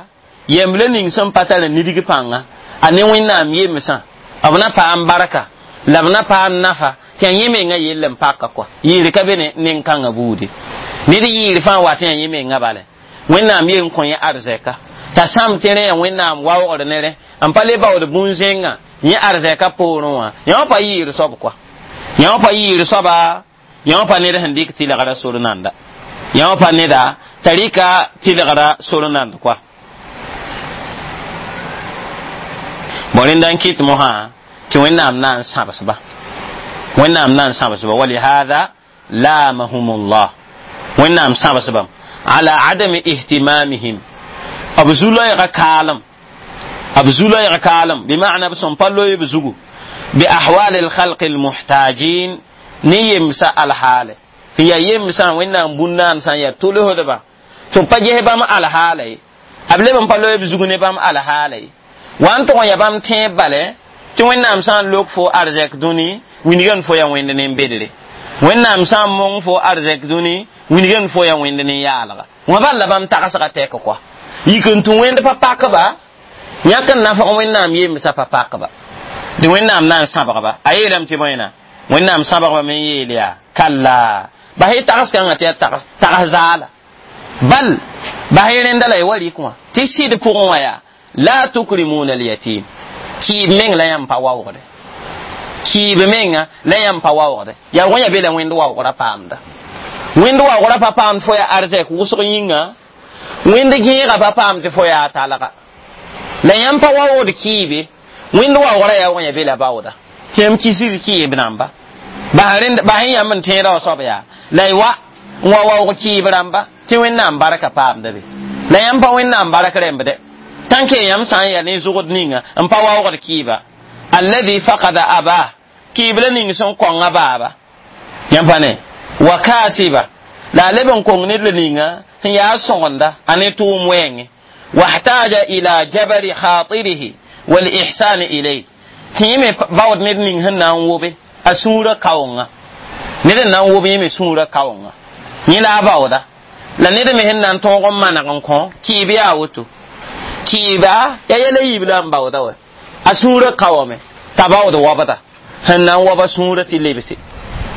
yɛmb la ning sẽn pa tar nidg pãnga a ne Wẽnnaam yemsã b na paam barka la b na paam nafa tɩ a yẽ menga yell n paka kɔa yɩɩr ka be ne nen-kãngã buudi ned yɩɩr fãa wa tɩ a yẽ menga bala Wẽnnaam yen kõ yẽ arzɛka t'a sãm tɩ rẽ yaa Wẽnnaam waoogr ne rẽ n pa le baood bũn-zẽngã yẽ arzɛka poorẽ wã yã wã pa yɩɩr soab kɔa yã wã pa yɩɩr soaba yã wã pa ned sẽn dɩk tɩlgra sor nanda yã wã pa neda t'a rɩka tɩlgra sor nand kɔa bõ rẽnda n kɩt mosã tɩ Wẽnnaam na n sãbsba Wẽnnaam na n sãbsba walihada lamahum llah Wẽnnaam sãbsbam ala adami ihtimamihim b zu-loɛɛga kaalem b zu-loɛɛg kaalem bima'na b sẽn pa loe b zugu bi ahwal alkhalq almuhtajin ne yemsa alhaale tɩ yaa yemsã Wẽnnaam bũn-naansã yaa tolsdba tɩ b pa ges bãmb alhaala ye b leb n pa loe b zug ne bãmb alhaala ye wa n tʋg n yaa bãmb tẽeb bale tɩ Wẽnnaam sã n lok fo arzɛk dũni wilgame fo yaa wẽnd nin-bedre Wẽnnaam sã n mong fo arzɛk dũni wilgame fo yaa wẽnd nin-yaalga wã bal la bãmb tagsga tɛk kɔa yik n tũ wẽnd pa pakba yãk n nafg Wẽnnaam yemsã pa pakba tɩ Wẽnnaam na n sãbgba a yeelame tɩ bõena Wẽnnaam sãbgba me n yeel yaa kalla bas y tags kãngã tɩ yaa tags zaala bal bas y rẽnda la y wa rɩk wã tɩ sɩd pʋgẽ wã yaa la tukrimuna alyatim kiib meng la yãmb pa waoogde kiib menga la yãmb pa waoogde yaa wã ya be la wẽnd waoogrã paamda wẽnd waoogrã pa paamd fo yaa arzɛk wʋsg yĩnga wẽnd gẽega pa paam tɩ fo yaa talga la yãmb pa waoogd kiibe wẽnd waoogrã yaa wã ya be la baooda tɩ yãmb kisd kɩɩb rãmba bas y yãmb n tẽeda wã soab yaa la y wa n wa waoog kɩɩb rãmba tɩ Wẽnnaam barka paamda be la yãmb pa Wẽnnaam bark rẽmbde tãnk yãmb sã n yaa ne zʋgd ninga n pa waoogd kɩɩba alladhi faqada abah kɩɩb la ning sẽn kõnga baaba yãmb pa ne wa kaasiba la a leb n kong ned la ninga sẽn yaa sõgenda a ne tʋʋm wɛɛngẽ wahtaja ila jabari khatirihi walihsani ilayh tɩ yẽ me baood ned ning sẽn na n wobe a sũurã kaoonga ned n na n wob yẽ me sũurã kaoonga yẽ la a baooda la ned me sẽn na n tõog n maneg n kõ kɩɩb yaa woto kɩɩba yaa yɛla yiib la n baooda wa a sũurã kaoome t'a baood wabda sẽn na n waba sũurã tɩ lebse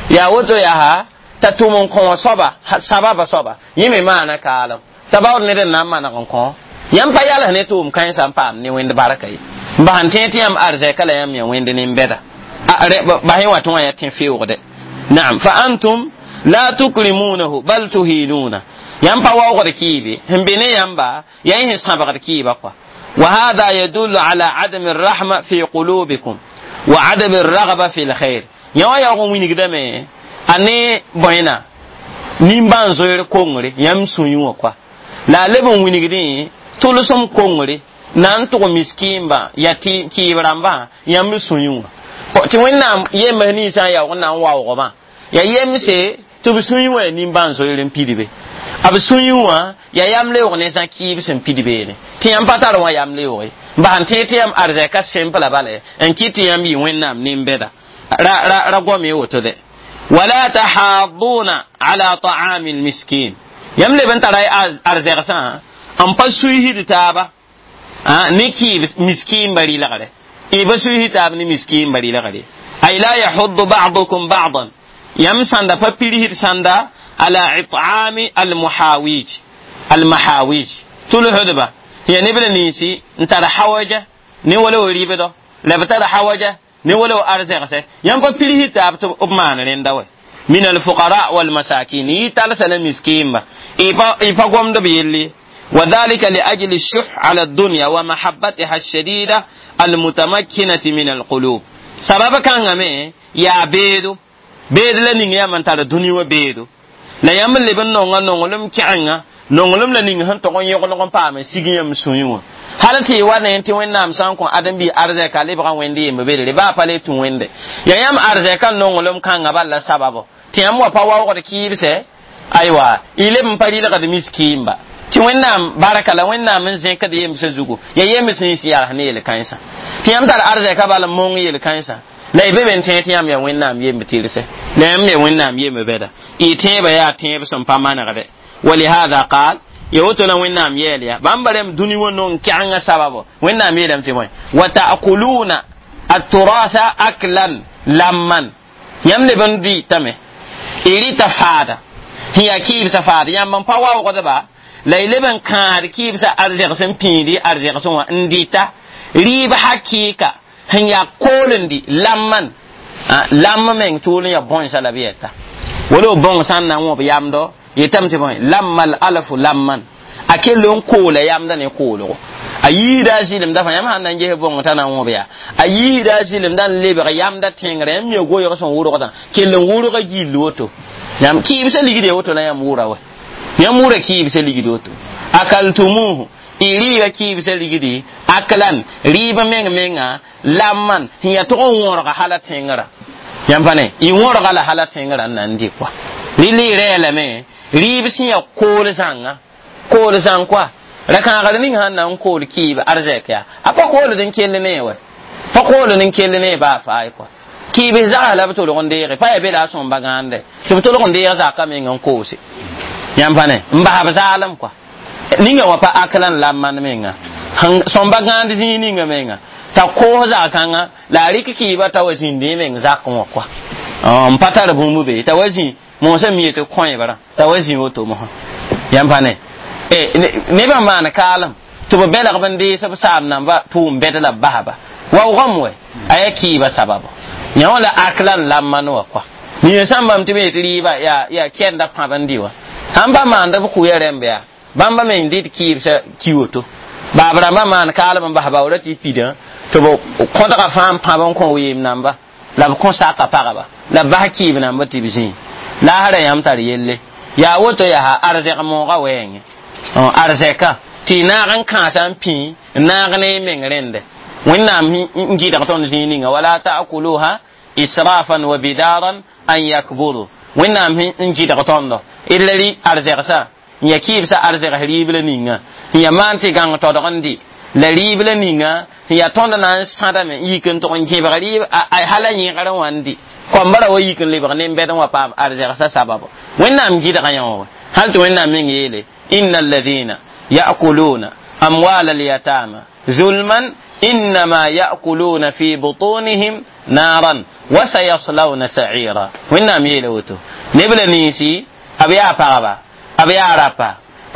yaa woto yaa t'a tʋm n kõ wã soaba sababa soaba yẽ me maana kaalem t'a baood ned n na n maneg n kõ yãmb pa yals ne tʋʋm kãensã n paam ne wẽnd barka ye n bas n tẽeg tɩ yãmb arzɛka la yãmb yã wẽnd nin-bɛda bas yẽ wã tɩ wã yaa tẽ feoogde naam fa antum la tukrimunahu bal tuhinuna yãmb pa waoogd kɩɩbe sẽn be ne yãmba yaa yẽ sẽn sãbgd kɩɩba kɔa وهذا يدل على عدم الرحمة في قلوبكم وعدم الرغبة في الخير yã wã yaoog n wilgdame a ne bõena nimbãan-zoeer kongre yãmb sũ wã kɔa la a leb n wilgdẽ tʋlsem kongre na n tʋg miskiimba yaa tɩ kɩɩb rãmbã yãmb sũ wã tɩ Wẽnnaam yems ninsã n yaoog n na n waoogmã yaa yemse tɩ b sũ wã yaa nimbãan-zoeer n pidbe b sũ wã yaa yam leoog ne zã kɩɩb sẽn pid beene tɩ yãmb pa tar wã yam leooge bas n tẽeg tɩ yãmb arzɛka sẽmpla bala n kɩt tɩ yãmb yɩ Wẽnnaam nin-bɛda ra ra ra goame woto de wala tahadduna ala ta'ami almiskin yãmb leb n tara arzɛgsã n pa suisd taaba ne kɩɩb miskiinba rɩlgre y pa suisd taab ne miskiinba rɩlgre ay la yahuddu ba'dukum ba'dan yãmb sãnda pa pirsd sãnda ala it'ami almuhawij almahawij tulsdba ya neb la ninsi n tar hawaja ne wala wa ribdɔ la b tar hawaja ne wala wa arzɛgse yãmb pa pirsd taab tɩ b maan rẽnda wɛ min alfuqara walmasakin y talsa la miskiinba y pa gomd b yelle وذلك لأجل الشح على الدنيا ومحبتها الشديدة المتمكنة من القلوب سبب كان مي يا بيدو بيد la ning yãmb n tar dũni wã beedo la yãmb n leb n nonga nonglem kẽgenga nonglem la ning sẽn tog n yõgeneg n paam n sig yãmb sũyẽ wã hal tɩ y wa ne tɩ Wẽnnaam sã n kõ ãdem-biig arzɛka lebgã wẽnd yemb bedre baa pa le tũ wẽnde yaa yãmb arzɛka nonglem kãngã bal la sababo tɩ yãmb wa pa waoogd kɩɩbsɛ aywa y leb n pa rɩlgd miskiimba tɩ Wẽnnaam barka la Wẽnnaam n zẽkd yemsã zugu yaa yems nins yals ne yel-kãensã tɩ yãmb tar arzɛka bal n mong yel-kãensã la y be be n tẽeg tɩ yãmb yaa Wẽnnaam yemb tɩrse la yãmb me wẽnnaam yembe bɛda y tẽebã yaa tẽeb sẽn pa manegde ولهذا قال يوتنا وينام يليا بامبرم دوني ونون كعنga sababo wẽnnaam yeelame tɩ bõe وتأكلون التراث أكلا لما yãmb leb n dɩtame y rɩta faada sẽn yaa kɩɩbsã faada yãmb n pa waoogdba la y leb n kãad kɩɩbsã arzɛgs n pĩidi arzɛgsẽ wã n dɩta rɩɩb hakɩɩka sẽn yaa kool n dɩ lamman lam meng tʋʋl n yaa bõnsã la b yɛta wala bõng sã n na n wõb yamdo yetame tɩ bõe lammal alfu lamman a kell n koola yamda ne koolgo a yiida a zɩlemda fãa yãmb sãn na n ges bõng t'a na n wõb yaa a yiida a zɩlemda n lebg yamda tẽngrã yãmb mi goɩg sẽn wʋrgdã kell n wʋrga gill woto yãmb kɩɩbsã ligd ya woto la yãmb wʋra wa yãmb wʋra kɩɩbsã ligd woto akaltumuhu y rɩɩba kɩɩbsã ligdi aklan rɩɩb meng menga lamman sẽn yaa tʋg n wõrga hala tẽngrã yãmb pa ne y wõrga la hala tẽngrã n na n dɩ kɔa rɩl y rɛɛlame rɩɩb sẽn yaa kool zãnga kool zãng kɔa ra-kãagr ning sãn na n kool kɩɩb arzɛk yaa a pa kooled n kell ne wa pa kooled n kell ne baa faay kɔa kɩɩb zags la b tolg n deege pa yaa be la a sõmba gãande tɩ b tolg n deeg zaka meng n koose yãmb pa ne n bas b zaalem kɔa ninga wã pa aklan lamman menga sõmba gãand zĩig ninga menga t'a koos zag-kãngã la a rɩk kɩɩba t'a wa zĩndẽ meng zakẽ wã kɔa n pa tar bũmb be t'a wa zĩ mosã mi yetɩ kõebra t'a wa zĩ woto mosã yãmb pa ne nebã maan kaalem tɩ b belg b n dees b saam namba tʋʋm bɛd la b basba waoogame wɛ a yaa kɩɩba sababo yã wã la aklan lamman wã kɔa nin sãn bãmb tɩ b yetɩ rɩɩba yaa yaa kɛenda pãb n dɩ wã sãn pa maanda b kʋya rẽmb yaa bãmba meng dɩt kɩɩbsã ki woto baab rãmbã maan kaalem n bas baoora tɩ pidã tɩ b kõdga fãa n pãb n kõ weem namba la b kõ saka pagba la b bas kɩɩb namba tɩ b zĩig laasra yãmb tar yelle yaa woto yaa arzɛg moogã wɛɛngẽ arzɛka tɩ y naag n kãasa n pĩ n naag ne y meng rẽnde wẽnnaam n gɩdg tõnd zĩig ninga wala ta'kuluha israfan wa bidaran an yakburu wẽnnaam n gɩdg tõndo d la rɩ arzɛgsã n yaa kɩɩbsã arzɛgs rɩɩb la ninga n yaa maan tɩ gãng todg n dɩ la rɩɩb la ninga n yaa tõnd na n sãdame n yik n tʋg n gẽbg rɩɩb hala yẽgr wã n dɩ koambã ra wa yik n lebg nen-bɛd n wa paam arzɛgsã sababo wẽnnaam gɩdga yã wã hal tɩ wẽnnaam meng yeele إن الذين يأكلون أموال اليتامى ظلما إنما يأكلون في بطونهم نارا وسيصلون سعيرا وإنما يلوتو نبل نيسي أبيا بابا أبيا رابا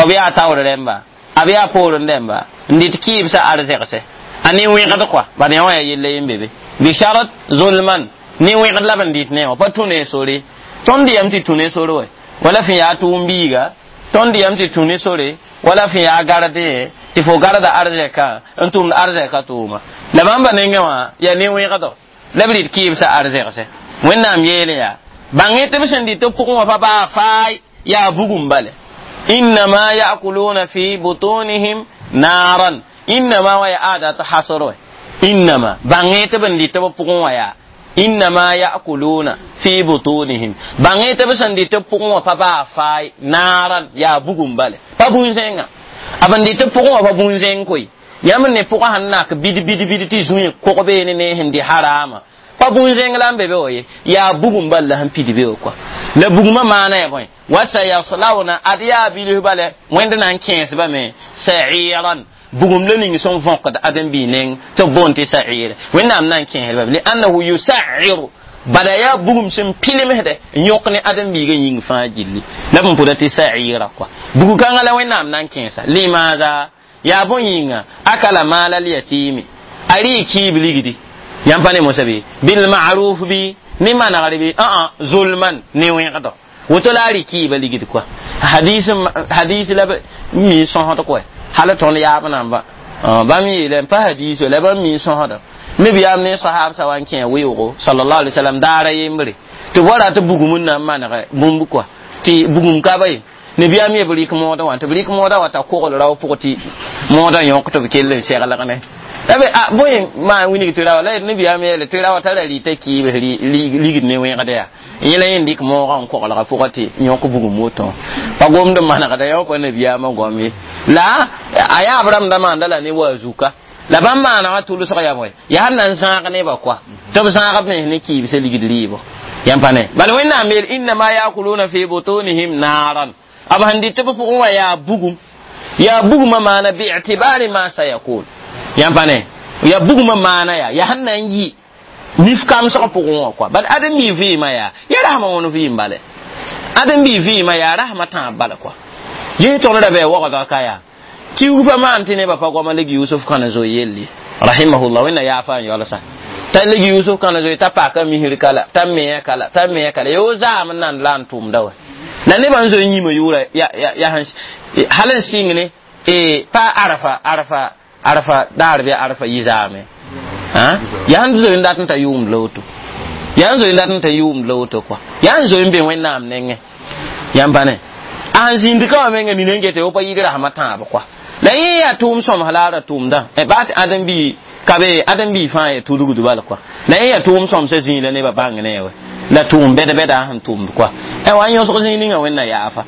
أبيا تاور رمبا أبيا بور رمبا نديت كيف سأرزقسه أني وين قد قوا بعدين هو يلي يمبي بشرط ظلما ني وين قد لبن ديت نيو بتوني سوري تندي أمتي توني سوري ولا في أتوم بيغا tõnd yam tɩ tũ ne sore wala fẽ yaa garde tɩ fo garda arzɛka n tʋmd arzɛka tʋʋma la bãmba nengẽ wã yaa ne-wẽgdo la b rɩt kɩɩbsã arzɛgse wẽnnaam yeele yaa bãng-y tɩ b sẽn dɩt b pʋgẽ wã pa baa faay yaa bugum bale innama yakuluna fi butunihim naran innama wã yaa adat hasr wɛ innama bãng-y tɩ b n dɩt b pʋgẽ wã yaa innama ya'kuluna fi butunihim bãng tɩ b sẽn dɩt b pʋgẽ wã pa baa faay naaran yaa bugum bale pa bũn-zẽnga a b n dɩt b pʋgẽ wã pa bũn-zẽng koe yãmb ne pʋgã sẽn nak bid bid bid tɩ zũe kog beene ne sẽn dɩ haraama pa bũn-zẽng la n be be wa ye yaa bugum bal la sẽn pid be wa kɔa la bugmã maana ya bõe wasayaslawna ad yaa bilf bale wẽnd na n kẽesbame sa'iran bugum la ning sẽn võkd ãdem-biig neng tɩ b boond tɩ sa'ir wẽnnaam na n kẽesba li'annahu yusairu bala yaa bugum sẽn pilimsdɛ n yõk ne ãdem-biigã yĩng fãa gilli la b n pʋda tɩ sa'ira kɔa bug-kãngã la wẽnnaam na n kẽesa limaada yaa bõe yĩnga akala maala lyatimi a rɩ kɩɩb ligdi yãmb pa ne mosã bɩ bilmaruf bɩ ne manegr bɩ ã zulman ne wẽgdɔ woto la a rɩ kɩɩba ligd kɔa hadis la mi sõsd kɔa hal tõnd yaab namba bãmb yeela n pa hadis la bãmb mi sõsda nabiyaam ne sahab sa wan kẽ weoogo sallallahu alaihi wasallam daara yembre tɩ b wa rat bugum n na n maneg bũmb kɔa tɩ bugum ka ba ye nabiyaam ye b rɩk moodã wã tɩ b rɩk moodã wa t'a kogl rao pʋg tɩ moodã yõk tɩ b kell n seglg ne la be a bõe maan wilg tɩ rawa la nabiyaam yeele tɩ rawa tara rɩta kɩɩbs ligd ne wẽgda yaa yẽla yẽ dɩk moogã n koglga pʋgã tɩ yõk bugum woto pa gomd n manegda yã pa nabiyaamã goam ye la a yaab rãmbda maanda la ne wa zuka la bãmb maanegã tʋlsg yaa bõe yaa sẽn na n zãag nebã koa tɩ b zãag b mens ne kɩɩbsã ligd rɩɩbo Yãmb pa ne bala Wẽnnaam yeel innama yakuluna fi butunihim naran b sẽn dɩt tɩ b pʋgẽ wã yaa bugum yaa bugumã maana bi'tibari ma sayakun. Yãmb pa ne yaa bugumã maana yaa yaa sẽn na n yɩ nif kamsg pʋgẽ wã kɔa bal ãdem-bi vɩɩmã yaa yaa rasmã wõn vɩɩm bale ãdem-bi vɩɩmã yaa rasmã tãab bala kɔa ges tõnd ra bɩ waoogdga ka yaa kiug pa maan tɩ nebã pa goama leg Yusuf kãna zoe yelli rahimahullah Wẽnna yaafa n yaolsa t'a leg Yusuf kãna zoe t'a paka misr kala t'a mea kala t'a mea kala yo zaam n nan la n tʋmda wa la nebã n zoe yĩmã yʋʋra ya hal n sɩng ne pa arafa arafa arafa daar bɩ arafa yɩ zaame yaa n zoe n dat n ta yʋʋmd la woto yaa n zoe n dat n ta yʋʋmd la woto kɔa yaa n zoe n be Wẽnnaam nengẽ yãmb pa ne a sẽn zĩnd ka wã menga nina n gete wo pa yɩɩd rasmã tãab kɔa la yẽ yaa tʋʋm sõms la a ra tʋʋmdã baa tɩ ãdem-bi ka be ãdem-bi fãa ya tudgd bal kɔa la yẽ yaa tʋʋm sõmsã zĩig la nebã bãng ne wa la tʋʋm bɛd-bɛda sẽn tʋmd kɔa wa n yõsg zĩig ninga Wẽnna yaafa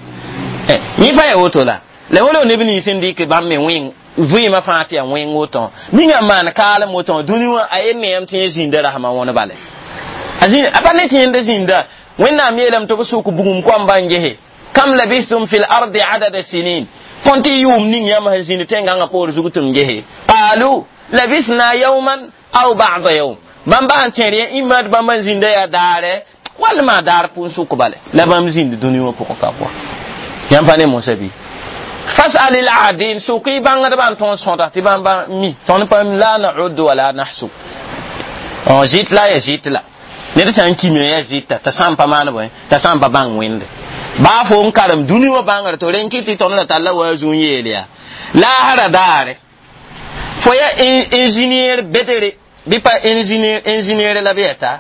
yẽ pa ya woto la la wolo neb nins n dɩk bãmb me wẽng vɩɩmã fãa tɩ yaa wẽng woto ninga n maan kaalem woto dũni wã a yen neem tɩ yẽ zĩnda rasmã wõn bale a pa ne tɩ yẽnda zĩnda Wẽnnaam yeelame tɩ b sʋk bugum koambã n gese kam labistum fil ardi adada sinin tõnd tɩ yʋʋm ning yãmb sẽn zĩnd tẽngãngã poor zug tɩ m gese qalu labisna yawman aw ba'da yawm bãmb sẽn tẽr yẽ imad bãmb n zĩnda yaa daare wall maa daar pʋʋn sʋk bale la bãmb zĩnd dũni wã pʋgẽ ka kɔa yãmb pa ne mosã bɩ fasal il adin sʋk y bãngdbã n tõnd sõda tɩ bãmb mi tõnd pa la na'uddu wala nahsub zɩt la ya zɩt la ned sã n kime ya zɩta t'a sã n pa maan bõe t'a sã n pa bãng wẽnde baa fo n karem dũni wã bãngr to rẽn kɩ tɩ tõnd ra talla wa zu n yeel yaa laasra daare fo ya ingénieur bedere bɩ pa ingénieur ingénieur la bɩ yɛta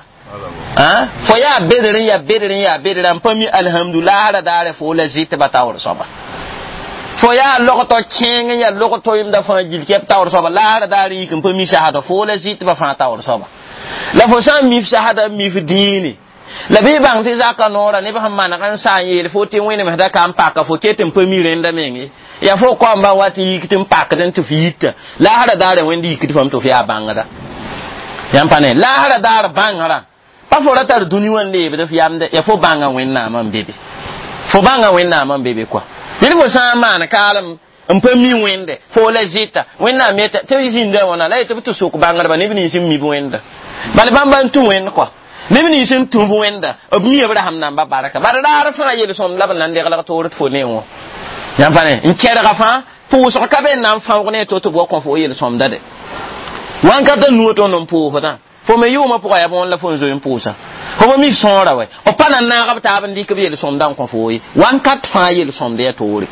fo yaa bedr n yaa bedr n yaa bedr n pa mi alhamdu laasra daare fo la zɩtba taoor soaba fo yaa logtɔ kẽeng n yaa logto yemda fãa gill kɛb taoor soaba laasra daare yik n pa mi sasda fo la zɩtba fãa taoor soaba la fo sã n mif sasda n mif dĩine la bɩ bãng tɩ zaka noora neb sẽn maneg n saa n yeel fo tɩ wẽnemsda ka n paka fo ket n pa mi rẽnda meng yaa fo koambã wa tɩ yik tɩ n pakd n tɩ f yita laasra daare wẽnd yikd fam tɩ f yaa bãngda yãmb pa ne laasra daar bãngrã pa fo ra tar dũni wã n leebd f yamde ya fo bãnga Wẽnnaamã n be be fo bãnga Wẽnnaamã n be be kɔa tɩ fo sã n maan kaalem n pa mi wẽnde fo la zɩta Wẽnnaam yeta tɩ zĩnda wãna la yetɩ b tɩ sok bãngdba neb nins n mib wẽnda bala bãmba n tũ wẽnd kɔa neb nins n tũ b wẽnda b mi b rasem namba barka bala raar fãa yel-sõmd la b na n deglg toor tɩ fo ne wã yãmb pa ne n kɛrga fãa pʋʋsg ka be n na n fãoog ne to tɩ b wa kõ fo yel-sõmda de wãnkata nuo tõnd n pʋʋsdã fo me yʋʋmã pʋga yaa bõn la fo n zoe n pʋʋsa fo pa mi sõora wɛ b pa na naag b taab n dɩk b yel-sõmdã n kõ fo ye wãnkat fãa yel-sõmd yaa toore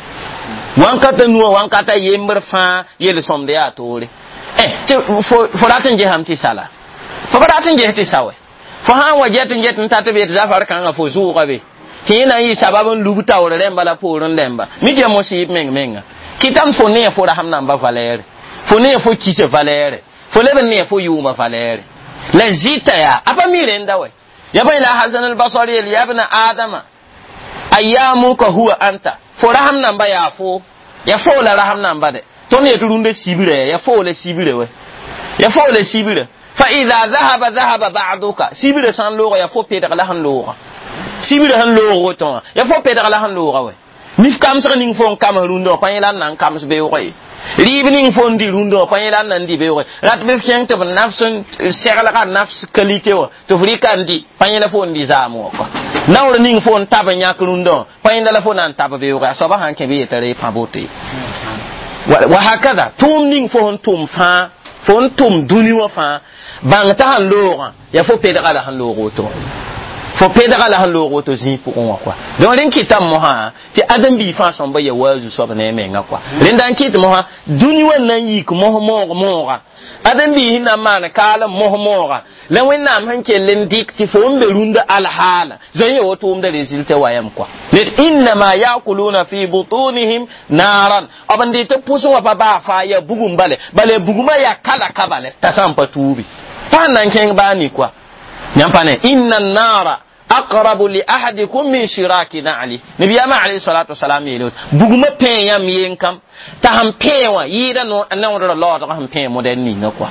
wãnkata nuwã wãnkata yembr fãa yel-sõmd yaa toore tɩ fo rat n gesame tɩ sala fo pa rat n ges tɩ sa wɛ fo sã n wa get n get n tat b yetɩ zafar kãngã fo zʋʋga be tɩ yẽ na n yɩ sabab n lub taoor rẽmba la poorẽ rẽmba mi tɩ ya mosɩɩb meng menga kɩtame fo ne fo rasem namba valɛɛre fo ne fo kisa valɛɛre fo leb n ne fo yʋʋmã valɛɛre la zɩta yaa a pa mi rẽnda wɛ ya pa la Hasan al-Basri yel ya ibn Adama ayyamuka huwa anta fo rasem namba yaa fo ya fo la rasem namba de tõnd yetɩ rũndã sibra ya fo la sibra wɛ ya fo la sibra fa idha dhahaba dhahaba ba'duka sibra sã n looga ya fo pedg la sẽn looga sibra sẽn loog woto wã ya fo pedg la sẽn looga wɛ nif kamsg ning fo n kams rũndã wã pa yẽ la n na n kams beoogã ye rɩɩb ning fo n dɩ rũndã wã pa yẽ la n na n dɩ beoogã rat bɩ f kẽng tɩ b nafs n seglga nafs qualité wã tɩ f rɩka n dɩ pa yẽ la fo n dɩ zaam wã kɔa naoor ning fo n tab n yãk rũndã wã pa yẽnda la fo na n tab beoogã a soaba sãn kẽ bɩ yetɩ ree pã boto ye wa hakada tʋʋm ning fo sẽn tʋm fãa fo n tʋm dũni wã fãa bãng t'a sẽn loogã yaa fo pedga la sẽn loog woto fo pedga la sẽn loog woto zĩig pʋgẽ wã kɔa donc rẽn kɩtame mosã tɩ ãdem-biig fãa sõmba ya wa a zu-soab ne a menga kɔa rẽnda n kɩt mosã dũni wã na n yik mos moog mooga ãdem-biig sẽn na n maan kaalem mos mooga la Wẽnnaam sẽn kell n dɩk tɩ fo n be rũndã alhaala zoe ya woto wʋmda résultat wa yam kɔa ned innama yakuluna fi butunihim naran b n dɩ tɩ pʋsẽ wã pa baa faa ya bugum bale bala bugumã yaa kala ka bale t'a sã n pa tuubi pa sẽn na n kẽng baa ni kɔa yãmb pa ne inna nara aqrabu li ahadikum min shiraki na'li nabiyama alayhi salatu wasalam yeelo buguma pẽ yãmb yen kam t'a sẽn pẽ wã yɩɩda naoodra laoodg sẽn pẽ modɛl ninga kɔa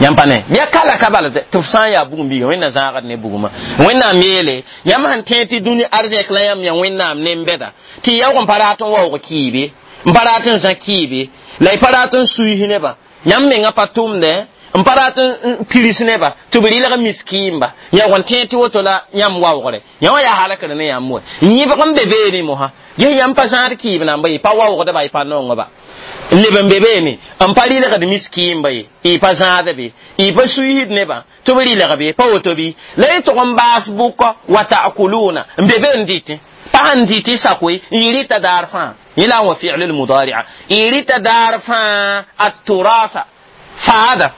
Yãmb pa ne ya kala ka bala tɩ f sã n yaa bugum biiga wẽnna zãagd ne bugumã wẽnnaam yeele yãmb sẽn tẽeg tɩ dũni arzɛk la yãmb ya wẽnnaam ne-n-bɛda tɩ yaoog n pa rat n waoog kɩɩbe n pa rat n zã kɩɩbe la y pa rat n suis nebã yãmb mengã pa tʋmdẽ n pa rat n pirs nebã tɩ b rɩlg miskiimba yaoog n tẽeg tɩ woto la yãmb waoogre yã wã yaa halkr ne yãmb wa yẽbg n be beene mosã ges yãmb pa zãad kɩɩb namba y pa waoogdba y pa nongba n leb n be beene n pa rɩlgd miskiimba ye y pa zãad be y pa suisd nebã tɩ b rɩlg be pa woto bɩ la y tʋg n baas bʋkɔ wa ta'kuluna n be be n dɩtẽ pa sẽn dɩt y sakoe n y rɩta daar fãa yẽ la n wa fi'l lmudari'a y rɩta daar fãa at-turasa faada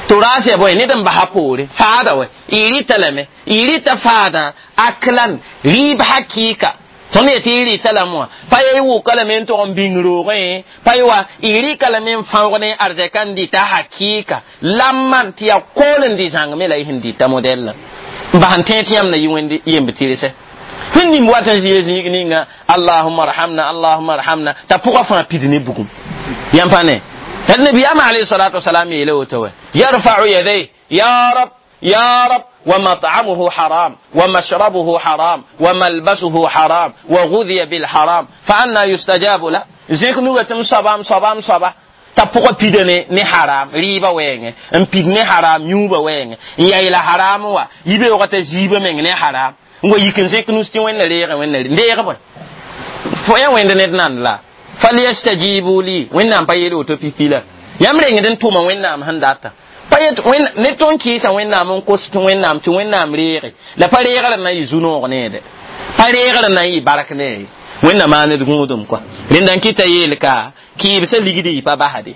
turas ya bõe ned n basa poore faada wɛ y rɩta lame y rɩta faada aklan rɩɩb hakɩɩka tõnd yetɩ y rɩta lame wã pa ya y wʋka lame n tog n bĩng roogẽ pa y wa y rɩka lame n fãoog ne arzɛka n dɩta hakɩɩka lamman tɩ yaa kool n dɩ zãngme la y sẽn dɩta modɛllã n bas n tẽeg tɩ yãmb na yɩ wẽnd yemb tɩrse sẽn nimb wat n zɩ zĩig ninga allahuma arhamna allahuma arhamna t'a pʋgã fãa pid ne bugum yãmb pa ne النبي أما عليه الصلاة والسلام يلوتوه يرفع يديه يا رب يا رب ومطعمه حرام ومشربه حرام وملبسه حرام وغذي بالحرام فأنا يستجاب له زيك نوغة صبا صبا صبا t'a pʋgã pida ne ne haram rɩɩbã wɛɛngẽ n pid ne haram yũubã wɛɛngẽ n yayla haram wa yibeoogã t'a ziibã meng ne haram n wa yik n zẽk nus tɩ wẽnna reegẽ wẽnna reeg bõe fo ya wẽnd ned nand la falyastajibu li wẽnnaam pa yeel woto pipi la yãmb rengd n tʋma wẽnnaam sẽn data pa yet ne tõnd kɩɩsa wẽnnaam n kos tɩ wẽnnaam tɩ wẽnnaam reege la pa reegrã na yɩ zu-noog neede pa reegrã na yɩ bark nee wẽnna maaned gũudum kɔa rẽnda n kɩta yeel ka kɩɩbsã ligd y pa basde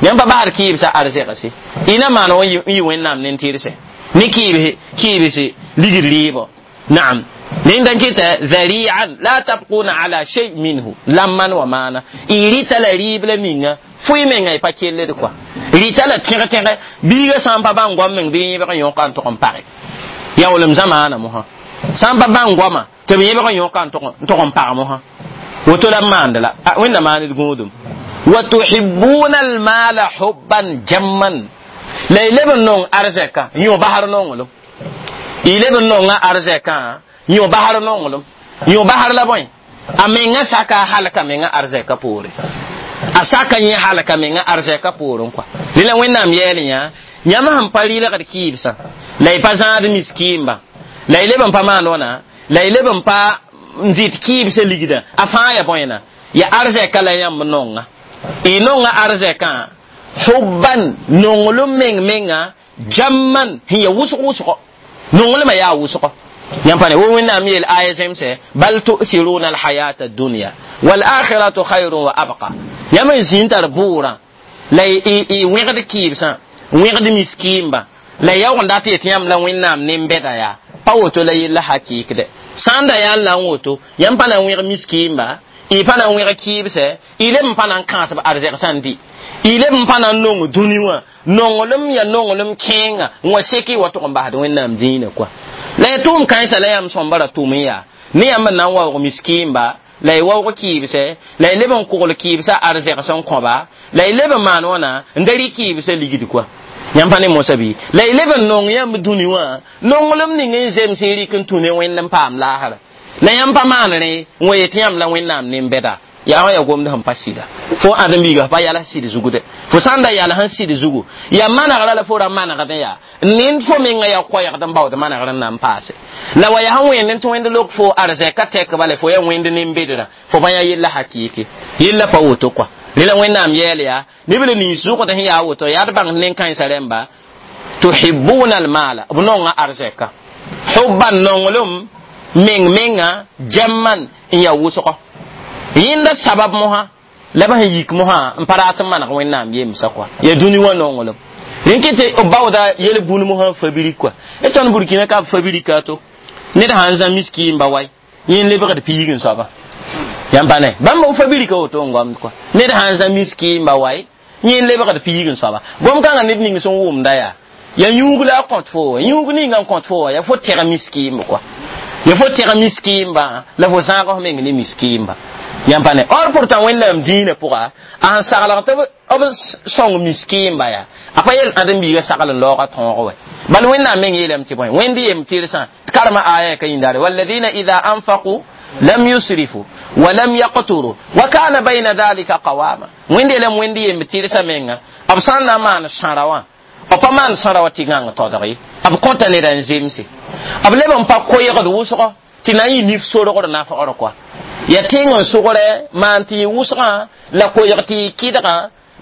yãmb pa basd kɩɩbsã arzɛgse y na maan n yɩ wẽnnaam nen-tɩrse ne kɩɩbs kɩɩbs ligd rɩɩbɔ naam rẽnda n kɩta zari'an la tabquna ala shay minhu lamman wa maana y rɩta la rɩɩb la ninga fʋɩ menga y pa kelld kɔa rɩta la tẽg-tẽge biiga sã n pa bãng goam meng bɩ yẽbg n yõka n tʋg n page yaoolem zamaana mosã sã n pa bãng goama tɩ b yẽbg n yõka n tʋg n pag mosã woto la b maand la wẽnna maaned gũudum wa tuhibbuna almala hubban jamman la y leb n nong arzɛka yõ basr nonglem y leb n nonga arzɛkã yõ basr nonglem yõ basr la bõe a menga saka a halka menga arzɛka poore a saka yẽ halka menga arzɛka poorẽ kɔa rẽ la wẽnnaam yɛɛl yã yãmb sẽn pa rɩlgd kɩɩbsã la y pa zãad miskiimba la y leb n pa maan wãna la y leb n pa n dɩt kɩɩbsã ligdã a fãa ya bõena ya arzɛka la yãmb nonga y nonga arzɛkã hubban nonglem meng menga jamman sẽn ya wʋsg wʋsgɔ nonglmã yaa wʋsgɔ yãmb pa ne wo wẽnnaam yeel aya zemsɛ bal tu'siruna alhayata addunya walakhiratu khayrun wa abqa yãmb n zĩn tar bʋʋrã la y wẽgd kɩɩbsã wẽgd miskiimba la yaoog n dat yetɩ yãmb la wẽnnaam nen-bɛda yaa pa woto la yella hakɩɩkdɛ sã n da yaa n la n woto yãmb pa na n wẽg miskiimba y pa na n wẽg kɩɩbsɛ y leb n pa na n kãasb arzɛg sã n dɩ y leb n pa na n nong dũni wã nonglem ya nonglem kẽenga n wa sek y wa tʋg n basd wẽnnaam dĩinã kɔa la ya tʋʋm kãensã la yãmb sõmba ra tʋʋm n yaa ne yãmb n na n waoog miskiimba la y waoog kɩɩbsɛ la y leb n kogl kɩɩbsã arzɛg sẽn kõba la y leb n maan wãna n da rɩ kɩɩbsã ligd kɔa yãmb pa ne mosã bɩ la y leb n nong yãmb dũni wã nonglem ning n zems n rɩk n tũ ne wẽnd n paam laasra la yãmb pa maan rẽ n wa yetɩ yãmb la wẽnnaam nen-bɛda yaa wã ya gomd sẽn pa sɩda fo ãdem-biiga pa yals sɩd zugu dɛ fo sã n da yals n sɩd zugu yaa manegrã la fo ra manegdẽ yaa nend fo menga yaa koɛɛgd n baood manegrã n na n paase la wa yaa sẽn wẽnd n tɩ wẽnd lok fo arzɛka tɛk bala fo yaa wẽnd nen-bedrã fo pa yaa yella hakɩɩke yella pa woto kɔa rẽ la wẽnnaam yɛɛl yaa neb la nins zʋgd sẽn yaa woto yaa d bãng nen-kãensã rẽmba tuhibbuna almala b nonga arzɛka hubban nonglem meng menga jamman n yaa wʋsgɔ yẽnda sabab mosã la b sẽn yik mosã n pa rat n maneg wẽnnaam yemsã kɔa ya dũni wã nonglem rẽn kɩ tɩ b baooda yel bũn mosã fabrik kɔa d tõnd burkina ka b fabrika to ned sã n zã miskiimba wai yẽ lebgd piig n soaba yãmb pa ne bãmb b fabrika woto n goamd kɔa ned sã n zã miskiimba wai yẽ lebgd piig n soaba gom kãngã ned ning sẽn wʋmda yaa ya yũug la a kõt fo wa yũug ninga n kõt fo wa ya fo tɛg miskiimb kɔa Ya fo tẽg miskiimba la fo zãag f meng ne miskiimba yãmb pa ne or pourtant wẽnnaam dĩinã pʋga a sẽn saglg tɩ b sõng miskiimba yaa a pa yel ãdem-biigã sagl n laoogã tõog wɛ bal wẽnnaam meng yeelame tɩ bõe wẽnd yem tɩrsã karema aya ka yĩndaare walladina ida anfaqu lam yusrifu wa lam yaqturu wa kana bayna dhalika qawama wẽnd yeelame wẽnd yemb tɩrsã menga b sã n na n maan sãra wã b pa maan sãra wã tɩ gãng todg ye b kõta neda n zemse b leb n pa koeegd wʋsgo tɩ na n yɩ nif sorgd nafgr kɔa ya tẽng n sʋgre maan tɩ yɩ wʋsgã la koeeg tɩ yɩ kɩdgã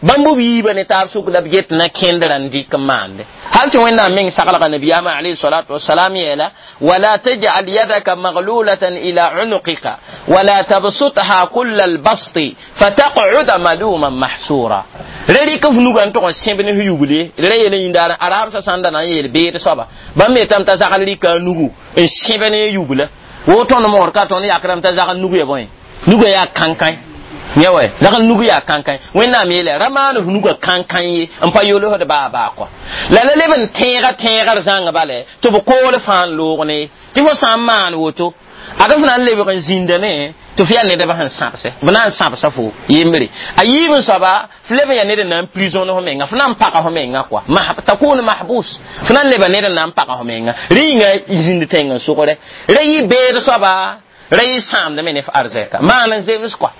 bãmb b yiibã ne taab sʋk la b get na kẽndrã n dɩk n maande hal tɩ wẽnnaam meng saglga nabiyaamã alayhi salatu wasalam yeela wala tajal yadaka maglulatan ila unuqika wala tabsutha kulla albasti fataqcuda maluman mahsura ra rɩk f nugã n tʋg n sẽb ne f yugle ra yel n yĩndaar araabsã sãn da na n yeel beed soaba bãmb me tame t'a zagl rɩka a nugu n sẽb ne yugla wo tõnd moor ka tõnd yakrame t'a zagl nug ya bõe nugã yaa kãnkãe yã wɛ zagl nug yaa kãnkãe wẽnnaam yeela ra maan f nugã kãnkãe ye n pa yolsd baa baa kɔa la la leb n tẽega tẽegr zãng bale tɩ b kool fãa n loog ne tɩ fo sã n maan woto ad f na n lebg n zĩnda ne tɩ f yaa nedbã sẽn sãbsɛ b na n sãbsa fo yembre a yiib n soaba f leb n yaa ned n na n prison f menga f na n paga f menga kɔa takun mahbus f na n leba ned n na n paga f menga rẽ yĩnga zĩnd tẽng n sʋgre ra yɩ beed soaba ra yɩ sãamdame ne f arzɛka maan n zems kɔa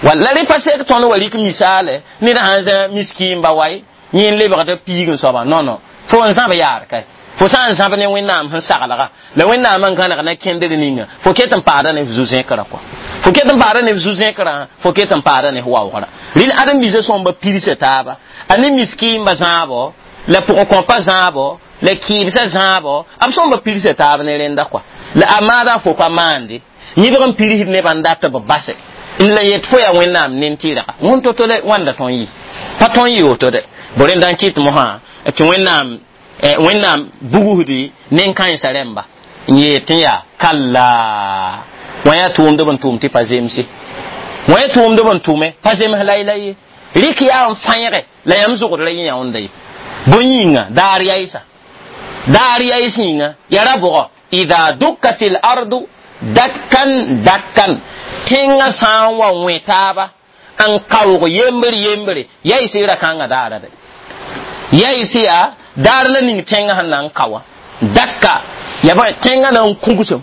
wala rẽ pa sek tõnd wa rɩk misaale ned sãn zã miskiimba waye yẽ n lebgd piig n soaba non non fo n zãb yaar kae fo sã n zãb ne wẽnnaam sẽn saglga la wẽnnaam n gãneg na kẽndr ninga fo ket n paada ne f zu-zẽkrã kɔa fo ket n paada ne f zu-zẽkrã fo ket n paada ne f waoogrã rɩl ãdem-biisã sõmba pirsa taaba a ne miskiimba zãabo la pʋgẽ-kõpa zãabo la kɩɩbsã zãabo b sõmba pirsa taab ne rẽnda kɔa la a maada fo pa maande yẽbg n pirsd nebã n dat b base n la yet fo yaa wẽnnaam nen-tɩrga wẽn to-to la wãnda tõn yɩ pa tõn yɩ woto de bo rẽnda n kɩt mosã tɩ wẽnnaam wẽnnaam bugsdi nen-kãensã rẽmba n yeel tɩ yaa kalla wã yaa tʋʋmdb n tʋʋm tɩ pa zemse wã yaa tʋʋmdb n tʋme pa zems layla ye rɩk yaa n fãẽge la yãmb zʋgd ra yẽ yãonda ye bõe yĩnga daar yaɩsa daar yaɩs yĩnga yaa ra bʋgɔ ida dukkat l ardu dakkan dakkan tẽngã sã n wa wẽ taaba n kaoog yembre yembre yaɩs ra kãngã daara de yaɩs yaa daar la ning tẽngã sẽn na n ka wã dakka ya bõe tẽngã na n kũgsem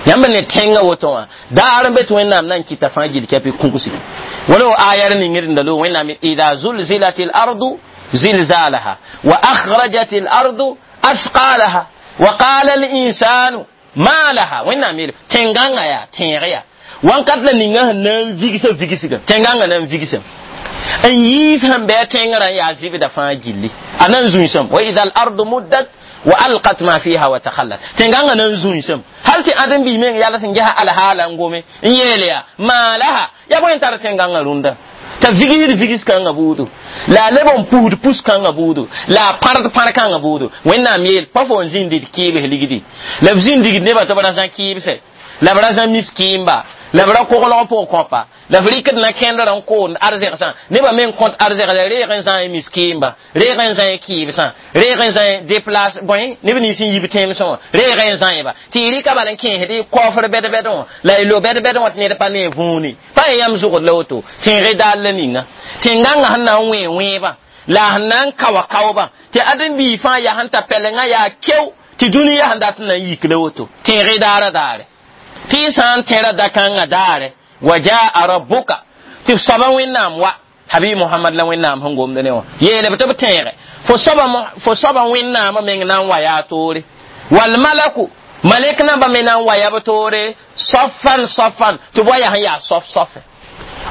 yãmb ne tẽngã woto wã daar n be tɩ wẽnnaam na n kɩta fãa gill kɛpɩ kũgsi wala wa aya r ningd n da loog wẽnnaam ida zulzilat l ardu zilzalaha wa akhrajat l ardu athqalaha wa qala al insanu ma laha wẽnnaam yeele tẽngãngã yaa tẽeg yaa wãnkat la ninga sẽn na n vigsã vigsga tẽngãngã na n vigsem n yiis sẽn bɩ a tẽngrã n yaa zɩbda fãa gilli a na n zũisem wa ida al ardu muddat wa alqat ma fiha wa takhallat tẽngãngã na n zũisem hal tɩ ãdem-biis meng yals n ges alhaala n gome n yeel yaa maa laha yaa bõe n tar tẽngãngã rũndã t'a vigsd vigs kãngã buudu la a leb n pusd pus kãngã buudu la a pãrd pãr kãngã buudu wẽnnaam yeel pa fo n zĩnd d kɩɩbs ligdi la b zĩnd digd nebã tɩ b ra zã kɩɩbsɛ la b ra zã miskiimba la b ra koglg pʋg kõpa la f rɩkd na kẽndr n koond arzɛgsã nebã meng kõt arzɛgsa reeg n zã miskiimba reeg n zã kɩɩbsã reeg n zã déplace bõe neb nins n yib tẽemsẽ wã reeg n zãeba tɩ y rɩka bal n kẽesd y kɔfr bɛd-bɛd wã la y lo bɛd-bɛd wã tɩ ned pa ne võone pa yã yãmb zʋgd la woto tẽeg daal la ninga tẽn-gãngã sẽn na n wẽ wẽebã la sẽn na n kaoa kaoobã tɩ ãdem-biig fãa yaa sẽn ta pɛlengã yaa keo tɩ dũniyã sẽn dat n na n yik la woto tẽeg daara daare tɩ y sã n tẽra dakãngã daare wa jaa rabbuka tɩ f soaba wẽnnaam wa habi muhammad la wẽnnaam sẽn gomd ne wã yeele b tɩ b tẽege fo soaba fo soaba wẽnnaamã meng na n wa yaa toore walmalaku malek nambã me na n wa yaa b toore safan safan tɩ b wa yaa sẽn yaa sof sofe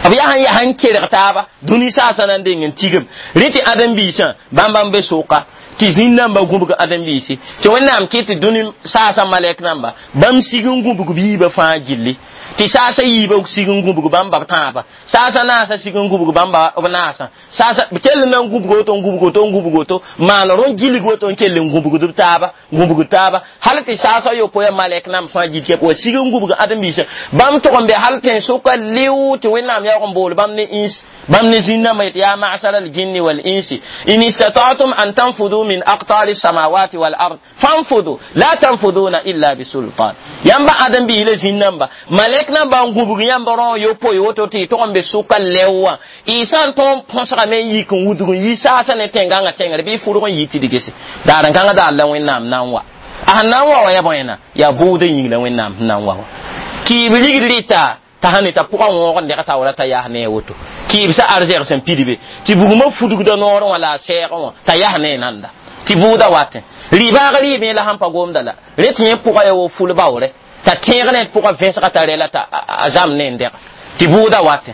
b yaa sẽn yaa sẽn kerg taaba dũni saasã na n deng n tigem rẽ tɩ ãdem-biisã bãmb n be sʋka tɩ zĩn nambã gũbg ãdem-biisi tɩ wẽnnaam kɩ tɩ dũni saasã malɛk namba bãmb sig n gũbg biibã fãa gilli tɩ saasã yiibã sig n gũbg bãmba b tãabã saasã naasã sig n gũbg bãmba b naasã saasã b kell na n gũbg woto n gũbg woto n gũbg woto maan rõ gilg woto n kell n gũbgd b taaba gũbgd taaba hal tɩ saasã yopoe malɛk namb fãa gil kɛp wa sig n gũbg ãdem-biisã bãmb tʋg n be hal tẽn-sʋka lɩʋ tɩ wẽnnaam yaoog n bool bãmb ne ins Bãmb ne zĩnnãmbã yet yaa masara aljinni walinsi in istata'tum an tanfudu min aqtari samawati wal ard fanfudu la tanfuduna illa bisultan. Yãmba ãdem biis la zĩnnãmba malɛk namba n gũbg yãmb rão yopoe woto tɩ y tog n be sʋka lɛo wã y sã n tõog n põsgame n yik n wudg n yi saasã ne tẽngãngã tẽngre bɩ y fʋrg n yi tɩ d gese daar n kãngã daar la Wẽnnaam na n wa a sẽn na n wa wã yaa bõe yaa bʋʋdã yĩng la Wẽnnaam sẽn na n wa wã kɩɩb rigd rɩta t'a sẽn t'a pʋgã wõog n deg taoora t'a yas ne a woto kɩɩb sa arzɛg sẽn pidbe tɩ bugmã fudgda noorẽ wã la a sɛɛgẽ wã t'a yas ne nanda tɩ bʋʋda watẽ rɩ-baag rɩɩbẽ la sãn pa gomda la re tɩ yẽ pʋgã yaa wo ful-baoore t'a tẽeg ne pʋgã vẽsga t'a rɛla t'a a zãmb ne n dega tɩ bʋʋda watẽ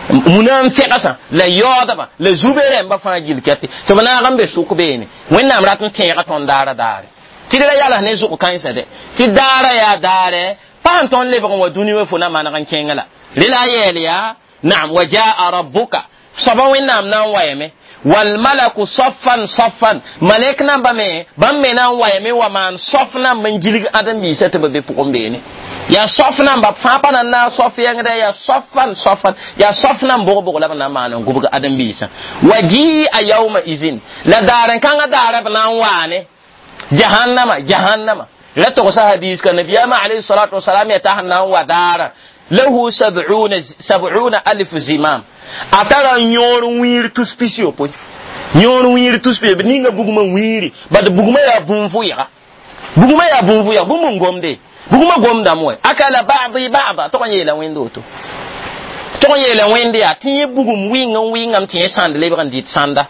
muna n fɛgsã la yaoodbã la zube rẽmbã fãa gill kɛtɩ tɩ b naag n be sʋk beene Wẽnnaam rat n tẽega tõnd daara daare tɩ d ra yals ne zʋg kãensã dɛ tɩ daara yaa daare pa sẽn tõnd lebg n wa dũni wã fo na maneg n kẽngã la rẽ la a yɛɛl yaa naam wa jaa rabbuka soaba Wẽnnaam na n wayame walmalaku saffan saffan malɛk namba me bãmb me na n wayame wa maan sof namba n gilg ãdem-biisã tɩ b be pʋgẽ beene yaa sof namba fãa pa na n naag sof yẽngdɛ yaa soffan soffan yaa sof nan bʋg-bʋg la b na n maan n gʋbg ãdem-biisã wa jia yauma izin la daar n kãngã daara b na n waane jahannama jahannama la togsa hadis ka nabiyama alayhi salatu wasalam ya ta sẽn na n wa daara lahu sab'una sab'una alf zimam a tara yõor wĩir tus pis yopoe yõor wĩir tus pis ninga bugmã wĩiri bad bugmã yaa bũn-vʋɩga bugmã yaa bũn-vʋɩga bũmb n gomde bugmã gomdame wɛ akala ba'di ba'da tog n yeela wẽnd woto tog n yeela wẽnd yaa tɩ yẽ bugum wɩng n wɩngame tɩ yẽ sãnd lebg n dɩt sãnda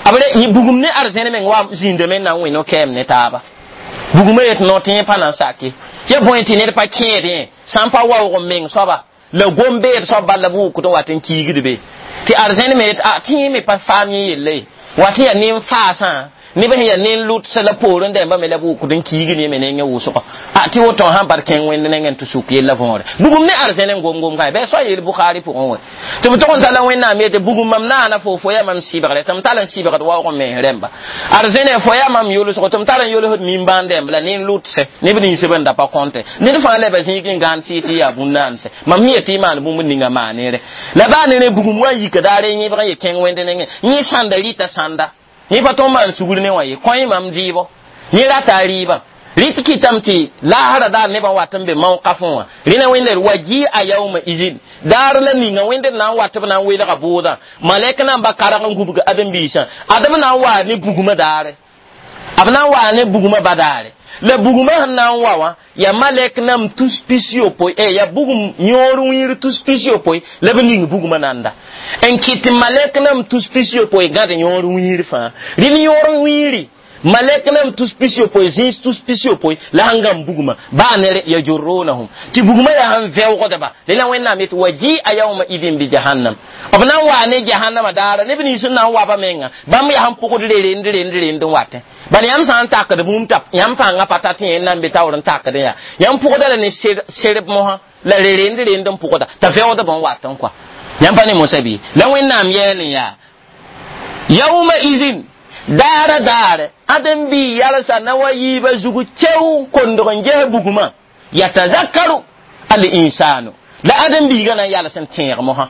b re bugum ne arzẽn meng wa zĩndame na n wẽ no-kɛɛm ne taaba bugumã yet no tɩ yẽ pa na n sake ya bõe tɩ ned pa kẽed yẽ sã n pa waoog n meng soaba la gom-beed soab bala b wʋkd n wat n kiigd be tɩ arzẽn me yet a tɩ yẽ me pa faam yẽ yelle wa tɩ yaa nen-faasã neb sẽn yaa nen-lʋtsa la poorẽ dẽmbã me la b wʋkd n kiigd yẽ me nengẽ wʋsgo a tɩ woto sãn par kẽng wẽnd nengẽ tɩ suk yella võore bugum ne arzẽn n gom-gom kãe bɩ soa yeel Bukhari pʋgẽ wɛ tɩ b tog n tala Wẽnnaam yetɩ bugum mam naana fo fo yaa mam sɩbgre tɩ m tall n sɩbgd waoog n mens rẽmba arzẽne fo yaa mam yolsgo tɩ m tar n yolsd nimbãan dẽmb la nen-lʋtse neb nins b n da pa kõnte ned fãa leba zĩig n gãan sɩ tɩ yaa bũn-naanse mam sẽn yetɩ y maan bũmb ninga maanere la baa ne ne bugum wa n yika daare yẽbg n ye kẽng wẽnd nengẽ yẽ sãnda rɩta sãnda yẽ pa tõnd maan sugr ne wã ye kõ mam dɩɩbɔ yẽ rata a rɩɩbã rɩt kɩtame tɩ laasra daar nebã wat n be mao-kafẽ wã rẽna wẽnda wa jia yauma izin daar la ninga wẽnd d na n wat b na n welga bʋʋdã malɛk namba karg n gubg ãdem-biisã adem na n waa ne bugmã daare b na n waa ne bugmã ba daare la bugmã sẽn na n wa wã yaa malɛk nam tus pis yopoe e yaa bugum yõor wĩir tus pis yopoe la b ning bugmã nanda n kɩt malɛk nam tus pis yopoe gãd yõor wĩir fãa rɩl yõor wĩiri malɛk nam tus pis yopoe zĩis tus pis yopoe la sẽn gãmb bugmã baa ne yajurunahum tɩ bugmã yaa sẽn vɛoogdba rẽla Wẽnnaam yetɩ wa jia yauma idin bi jahannam b na n waa ne jahannama daara neb nins n na n waba menga bãmb yaa sẽn pʋgd rerend rend rend n watẽ bal yãmb sã n takd bũmb t'a yãmb pãngã pa ta tɩ yẽ na n be taoor n takdẽ yaa yãmb pʋgda la ne serb mosã la rerend rend n pʋgda t'a vɛoogdb n wat n kɔa yãmb pa ne mosã bɩ la Wẽnnaam yɛɛl n yaa yauma izin daara daare ãdem-bi yalsa na wa yiibã zugu keo kondg n ges bugmã yatazakkaru al insanu la ãdem-biigã na n yals n tẽeg mosã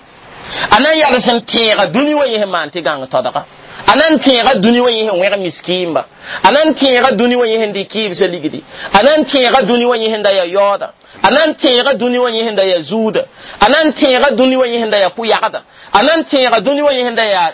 a na n yals n tẽega dũni wã yẽ sẽn maan tɩ gãng todga a na n tẽega dũni wã yẽ sẽn wẽg miskiimba a na n tẽega dũni wã yẽ sẽn dɩ kɩɩbsã ligdi a na n tẽega dũni wã yẽ sẽn da yaa yaooda a na n tẽega dũni wã yẽ sẽn da yaa zuuda a na n tẽega dũni wã yẽ sẽn da yaa pʋ-yagda a na n tẽega dũni wã yẽ sẽn da yaa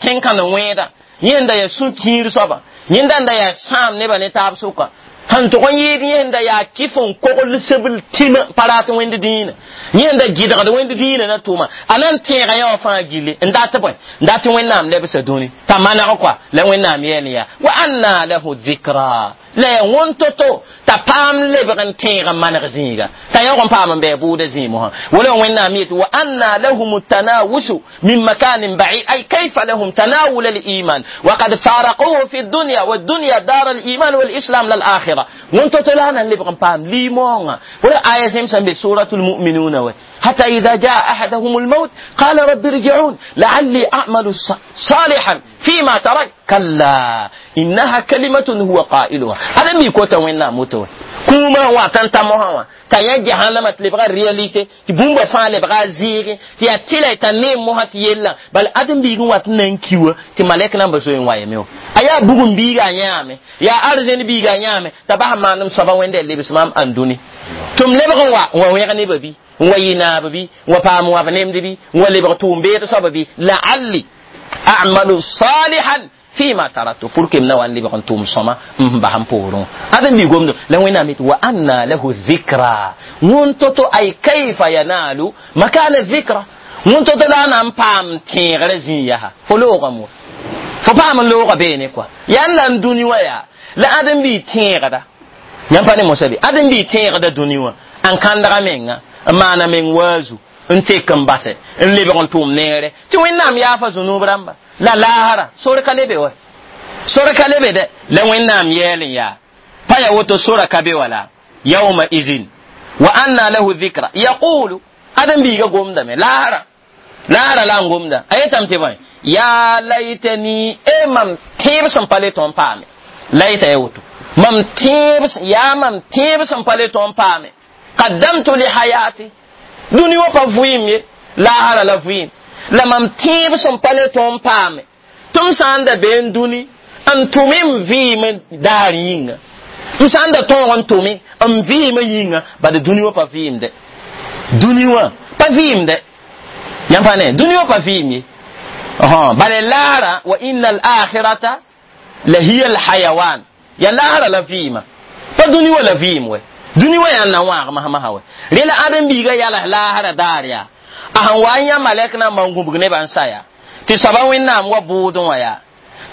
kẽn-kãn wẽeda yẽ da yaa sũ-kiir soaba yẽnda n da yaa sãam nebã ne taab sʋka sẽn tʋg n yɩɩd yẽnda yaa kɩf n kogl sebl tĩmã pa rat wẽnd dĩinã yẽnda gɩdgd wẽnd dĩinã na tʋʋma a na n tẽega yã wã fãa gilli n dat bõe n dat Wẽnnaam lebsa dũni t'a maneg kɔa la Wẽnnaam yɛɛl yaa wa anna lahu dhikra la yaa wõn to-to t'a paam lebg n tẽeg n maneg zĩiga t'a yaoog n paam n bɩ bʋʋda zĩig mosã wala Wẽnnaam yet wa anna lahum tanawushu min makanin ba'id ay kayfa lahum tanawul al-iman wa qad faraquhu fi dunya wa dunya dar al-iman wal islam lal akhirah wõn to-to la na n lebg n paam limoongã wala aya zẽmsã n be suratul mu'minuna wa حتى إذا جاء أحدهم الموت قال رب ارجعون لعلي أعمل صالحا فيما ترك كلا إنها كلمة هو قائلها هذا مي كوتا وين موتو Kũumã n wat n ta mosã wã t'a yã jahannama tɩ lebga réalité tɩ bũmba fãa lebga a zẽege tɩ yaa tɩla t'a neem mosã tɩ yellã bala ãdem-biig n wat n na n ki wã tɩ malɛk namba zoe n wa yame wã a yaa bugum biiga a yãame yaa arzẽn biiga a yãame t'a bas n maand m soaba wẽnda lebs maam ãndũni tɩ m lebg n wa n wa wẽg nebã bɩ n wa yɩ naab bɩ n wa paam wãb nemd bɩ n wa lebg tʋʋm-beed soaba bɩ laalli a'malu salihan fima taraktu pour que m na wa n lebg n tʋʋm sõma n bas n poorẽ ãdem bi gomdo la wẽnnaam yetɩ wa anna lahu dhikra wõn to-to ay kayfa yanalu makana dhikra wõn to-to la a na n paam tẽegrã zĩig yaa fo loogame wa fo paam n looga beene kɔa yaa n la n dũni wã yaa la ãdem bi tẽegda yãmb pa ne mosa be ãdem bi tẽegda dũni wã n kãndga menga n maana meng waazu n tek n base n lebg n tʋʋm neere tɩ wẽnnaam yaafa zũnub rãmba la laasra sor ka lebe wa sor ka lebe dɛ la wẽnnaam yɛɛl n yaa pa ya woto sora ka be wala yauma izin wa anna lahu dhikra yaqulu ãdem biiga gomdame laasra laasra la n gomda a yetame tɩ bõe yaa laitani e mam tẽeb sẽn pa le tõe n paame laita ya woto mam tẽeb yaa mam tẽeb sẽn pa le tõe n paame qaddamtu li hayati dũni wã pa vɩɩm ye laasra la vɩɩm la mam tẽeb sẽn pa le tõe n paame tɩ m sã n da bee n dũni n tʋme m vɩɩmã daar yĩnga m sã n da tõog n tʋme m vɩɩmã yĩnga bad dũni wã pa vɩɩmde dũni wã pa vɩɩmde yãmb pa ne dũni wã pa vɩɩm ye bala laara wa inna al-akhirata la hiya al-hayawan ya laara la vɩɩma pa dũni wã la vɩɩm wɛ dũni wã yaa n na wãag masã wɛ rẽ la ãdem-biigã yals laasra daar yaa a sẽn wa n yã malɛk nambã n gũbg nebã n sa yaa tɩ soaba wẽnnaam wa bʋʋdẽ wã yaa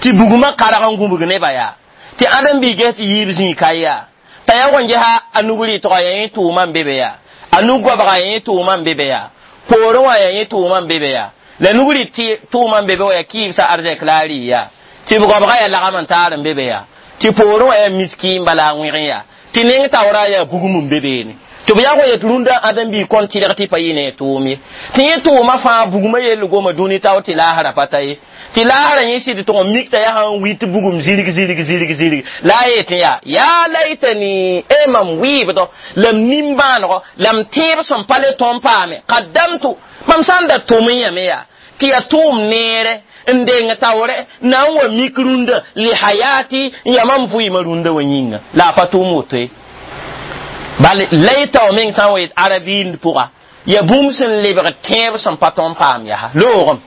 tɩ bugmã karg n gũbg nebã yaa tɩ ãdem-biig ges tɩ yiib zĩig ka yaa t'a yag n gesa a nug rɩtgã yaa yẽ tʋʋmã n be be yaa a nug goabgã yaa yẽ tʋʋmã n be be yaa poorẽ wã yaa yẽ tʋʋmã n be be yaa la nug rɩt tʋʋmã n be be wã yaa kɩɩbsã arzɛk la a rɩ yaa tɩ b goabgã yaa lagam n taar n be be yaa tɩ poorẽ wã yaa miskiin bala a wẽg yaa tɩ neng taoora yaa bugum n be beene tɩ b yag wa yet rũndã ãdem-biig kõn tɩlg tɩ pa yɩ ne tʋʋm ye tɩ yẽ tʋʋmã fãa bugmã yell goma dũni tao tɩ laasra pa ta ye tɩ laasra yẽ sɩd tʋg n mik t'a yaa sãn wit bugum zirg zirg zirg zirg la a yetẽ yaa yaa laitani e mam wɩɩbdɔ la m nimbãanegɔ la m tẽeb sẽn pa le tõe n paame qaddamtu mam sã n da tʋm n yãme yaa tɩ yaa tʋʋm neere n deng taoore na n wa mik rũndã li hayati n yaa mam vɩɩmã rũndã wã yĩnga la a pa tʋʋm woto ye bal laita wa meng sã n wa yet arabiind pʋga ya bũmb sẽn lebg tẽeb sẽn pa tõe n paam yaa loogem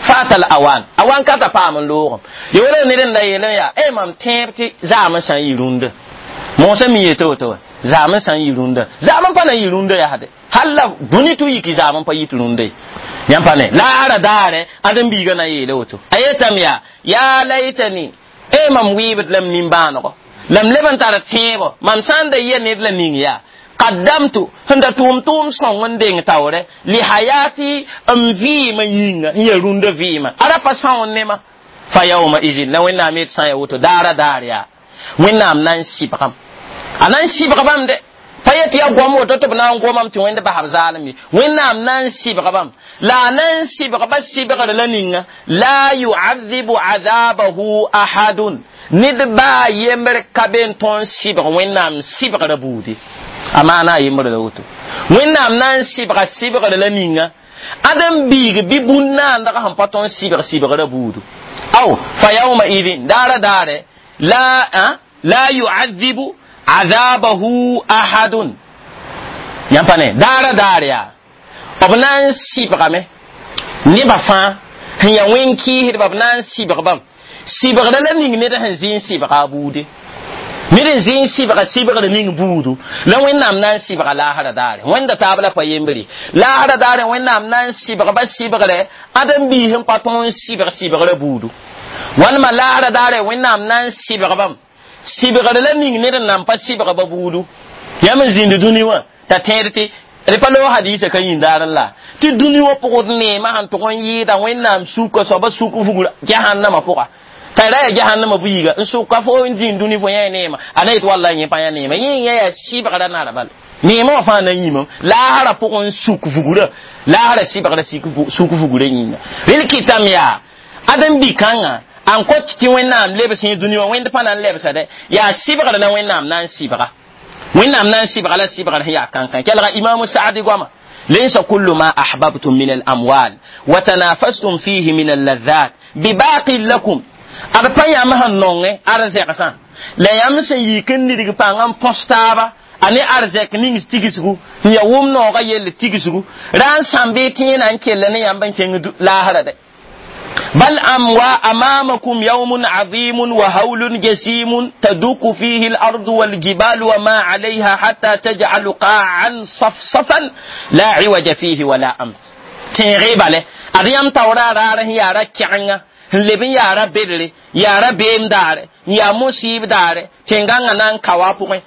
fatal awan awan ka ta paam n loogem ya wala ned n da yeel n yaa e mam tẽeb tɩ zaam n sã n yɩ rũndã moosã mi yeta woto wa zaam n sã n yɩ rũndã zaam n pa na n yɩ rũndã yaasde hal la dũni tɩ yiki zaam n pa yit rũndã ye yãmb pa ne laara daare ãdem-biigã na yeele woto a yetame yaa yaa laitani e mam wɩɩbd la m nimbãanegɔ la m leb n tar tẽebo mam sã n da yɛ ned la ning yaa qaddamtu sẽn da tʋʋm tʋʋm sõng n deng taoore li hayati n vɩɩmã yĩnga n ya rũndã vɩɩmã ara pa são n nema fa yauma izin la wẽnnaam yet sã n ya woto daara daar yaa wẽnnaam na n sɩbgam a na n sɩbg bãmb de pa yet yaa goam woto tɩ b na n gomame tɩ wẽnd basb zaalem ye wẽnnaam na n sɩbg bãmb la a na n sɩbgba sɩbgr la ninga la yuadhibu adabahu ahadun ned baa yembr ka be n tõe n sɩbg wẽnnaam sɩbgrã buudi a maana a yembr la woto wẽnnaam na n sɩbga sɩbgr la ninga ãdem biig bɩ bũn-naandg sẽn pa tõe n sɩbg sɩbgrã buudu aw fa yauma idin daara daare la la yuadhibu azabahu ahadun yãmb pa ne daara daar yaa b na n sɩbgame nebã fãa sẽn yaa wẽn-kɩɩsdba b na n sɩbg bãmb sɩbgrã la ning ned sẽn zĩ n sɩbga a buude ned n zĩ n sɩbga sɩbgr ning buudu la wẽnnaam na n sɩbga laasra daare wẽnda taab la pa yembre laasra daare wẽnnaam na n sɩbgba sɩbgrɛ ãdem-biis n pa tõe n sɩbg sɩbgrã buudu walma laasra daare wẽnnaam na n sɩbg bãmb sɩbgr la ning ned n nan pa sɩbga ba buudu yãmb n zĩnd dũni wã t'a tẽed tɩ d pa loog hadiisa ka yĩn daar n la tɩ dũni wã pʋgd neemã sẽn tʋg n yɩɩda wẽnnaam suka soaba suk vugr jahannama pʋga t'a ra yaa jahannama buiiga n sʋka fo n zĩnd dũni fo yã neema a na yet walla yẽ pa yã neema yẽ yã yaa sɩbgrã nara bala neemã wã fãa na n yĩmam laasrã pʋgẽ n suk vugrã laasrã sɩbgrã suk vugrã yĩnga rel kɩtame yaa ãdem-bi-kãngã an kot tɩ wẽnnaam lebs yẽ dũni wã wẽnd pa na n lebsa dɛ yaa sɩbgr la wẽnnaam na n sɩbga Wẽnnaam na n sɩbga la sɩbgr sẽn yaa kãnkã kelga imaamu saadi goama ليس كل ما أحببتم من الأموال وتنافستم فيه من اللذات بباق لكم ad pa yãmb sẽn nongẽ arzɛgsã la yãmb sẽn yik n nidg pãng n põs taaba a ne arzɛk ning tigsgu n ya wʋm noogã yell tigsgu ra n sãmb y tẽenã n kell ne yãmb n kẽng laasra dɛ بل أموا أمامكم يوم عظيم وهول جسيم تدك فيه الأرض والجبال وما عليها حتى تجعل قاعا صفصفا لا عوج فيه ولا أمت. تنغيب عليه أريم تورا راره يا ركعنا n leb n yaa ra bedre yaa ra beem daare n yaa musib daare tẽngãngã na n kao a pʋgẽ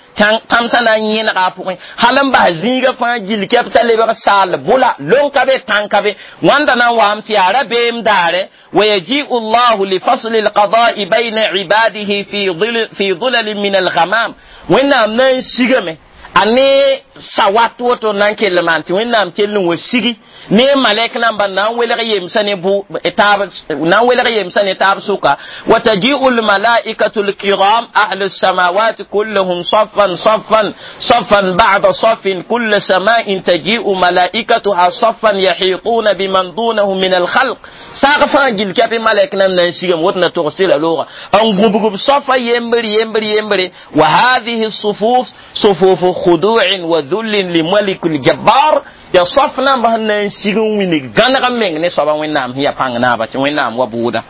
tãmsã na n yẽnega a pʋgẽ hal n bas zĩiga fãa gill kɛb t'a lebg saal bʋla lon ka be tãn ka be wãnda na n waam tɩ yaa ra beem daare ويجيء الله لفصل القضاء بين عباده في ظل في ظلل من الغمام وإنهم نسيغمه a ne sawat woto nan kell maan tɩ wẽnnaam kell n wa sigi ne malɛk namba na n welg yemsã ne bʋ taab na n welg yemsã ne taab sʋka wa taji'u lmalaikatu lkiram ahlu lsamawat kulluhum safan safan safan ba'da safin kulla sama'in taji'u malaikatuha safan yahituna biman dunahum min alkhalq saag fãa gil kɛpɩ malɛk nam na n sigame woto na togs la looga n gũbgb safa yembr yembr yembre wa hadhihi sufuf sufufu خضوع وذل لملك الجبار يا صفنا بهن سيغن ويني غنغ مeng ne soba wẽnnaam ya pãng naaba tɩ wẽnnaam wa bʋʋda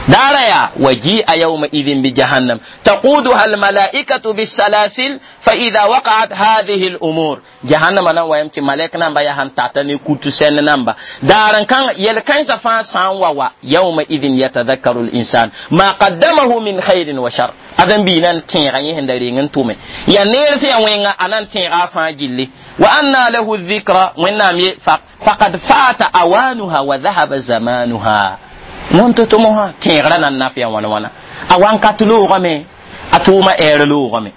دارا يا وجيء يومئذ بجهنم تقودها الملائكة بالسلاسل فإذا وقعت هذه الأمور جهنم أنا ويمتي ملك نمبا يا هن تاتني كوتو سن نمبا دارا كان يلكن سفان سان ووا يومئذ يتذكر الإنسان ما قدمه من خير وشر أذن بينان تيغا يهن تومي يا نيرتي وين أنا تيغا فاجلي وأن له الذكرى وإنام فقد فات أوانها وذهب زمانها wõn tɩ mosã tẽegrã na n naf ya wãna wãna a wãnkat loogame a tʋʋma ɛɛr loogame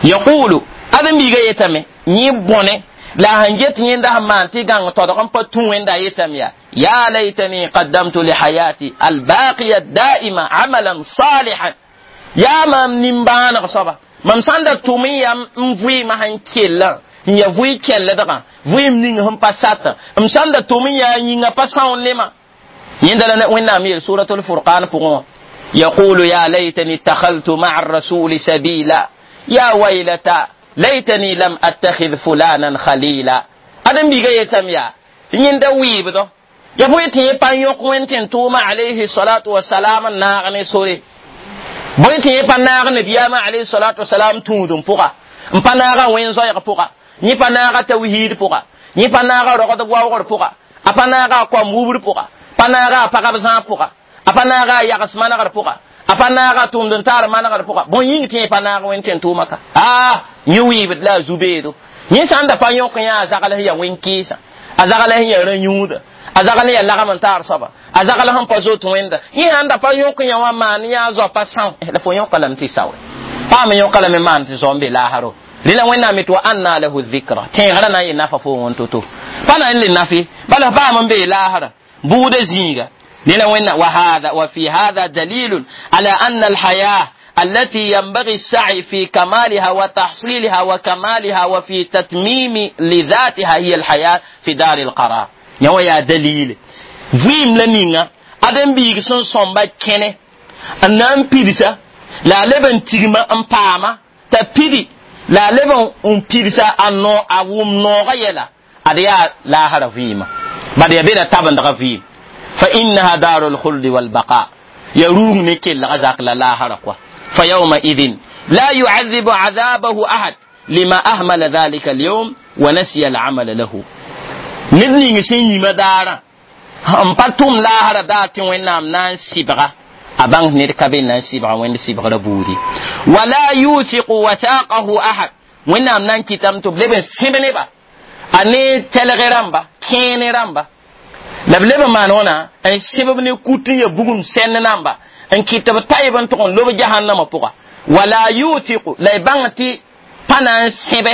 yaqulu ãdem-biigã yetame yẽ bõne la a sẽn get yẽnda sẽn maan tɩ gãng todg n pa tũ wẽnda yetame yaa ya laytani qaddamtu lihayati albaqiya daima amalan salihan yaa mam nimbãaneg soaba mam sãn da tʋm n yam n vɩɩmã sẽn kellã n ya vʋɩ kelldgã vɩɩm ning sẽn pa satã m sãn da tʋm n yaa yĩngã pa são nema يندل وين مير سورة الفرقان فقون يقول يا ليتني اتخذت مع الرسول سبيلا يا ويلتا ليتني لم أتخذ فلانا خليلا أدم بيجي يتم يا يند ويبدو يا بويتي بان يوك وين توما عليه الصلاة والسلام ناغني سوري بويتي بان ناغني بياما عليه الصلاة والسلام تودم فوقا مبا وين زايغ فوقا ني با ناغا توحيد فوقا ني با ناغا رغد واوغر فوقا أبا ناغا قوم وبر فوقا pa naaga a pagb zãag pʋga a pa naaga a yags manegr pʋga a pa naaga a tʋmd n taar manegr pʋga bõn yĩng tɩ yẽ pa naag wẽnd tẽn tʋʋma ka aa yẽ wɩɩbd la a zu-beedo yẽ sã n da pa yõk yã a zagl sẽn yaa wẽn-kɩɩsã a zagl sẽn yaa rã-yũuda a zagl sẽn yaa lagm n taar soaba a zagl sẽn pa zot wẽnda yẽ sãn da pa yõk yã wã maan yã a zoa pa são la fo yõka lame tɩ saoe paam yõka lame maan tɩ zao n be laasro rẽla wẽnnaam tɩ wa anna lahu dhikra tẽegrã na n yɩ nafa fo wẽn to-to pa na n le nafe bala paam n bee laasra بود زيغة لأن وهذا وفي هذا دليل على أن الحياة التي ينبغي السعي في كمالها وتحصيلها وكمالها وفي تتميم لذاتها هي الحياة في دار القرار يا يا دليل فيم لنينا أدم بيغسون صنبا كنه أنام بيرسا لا لبن تيغما أم باما تبيدي لا لبن أم بيرسا أنو أوم نوغا يلا أديا لا هرا فيما بعد يبينا تابن دغفي فإنها دار الخلد والبقاء يروم نكل غزاق لا هرقوا فيومئذ لا يعذب عذابه أحد لما أهمل ذلك اليوم ونسي العمل له نبني سيني مدارا هم باتوم لا هر دات وينام نان سيبغا أبان نركبين نان سيبغا وين سيبغا ربودي ولا يوثق وثاقه أحد وينام نان كتام تبلبن سيبنبا a ne tɛlgɛ rãmba kẽene rãmba la b leb n maan wãna n sẽb ne kut n ya bugum sɛnd namba n kɩt b tayb n tʋg n lob jahannama pʋga wala yutiqu la y bãng tɩ pa na n sẽbe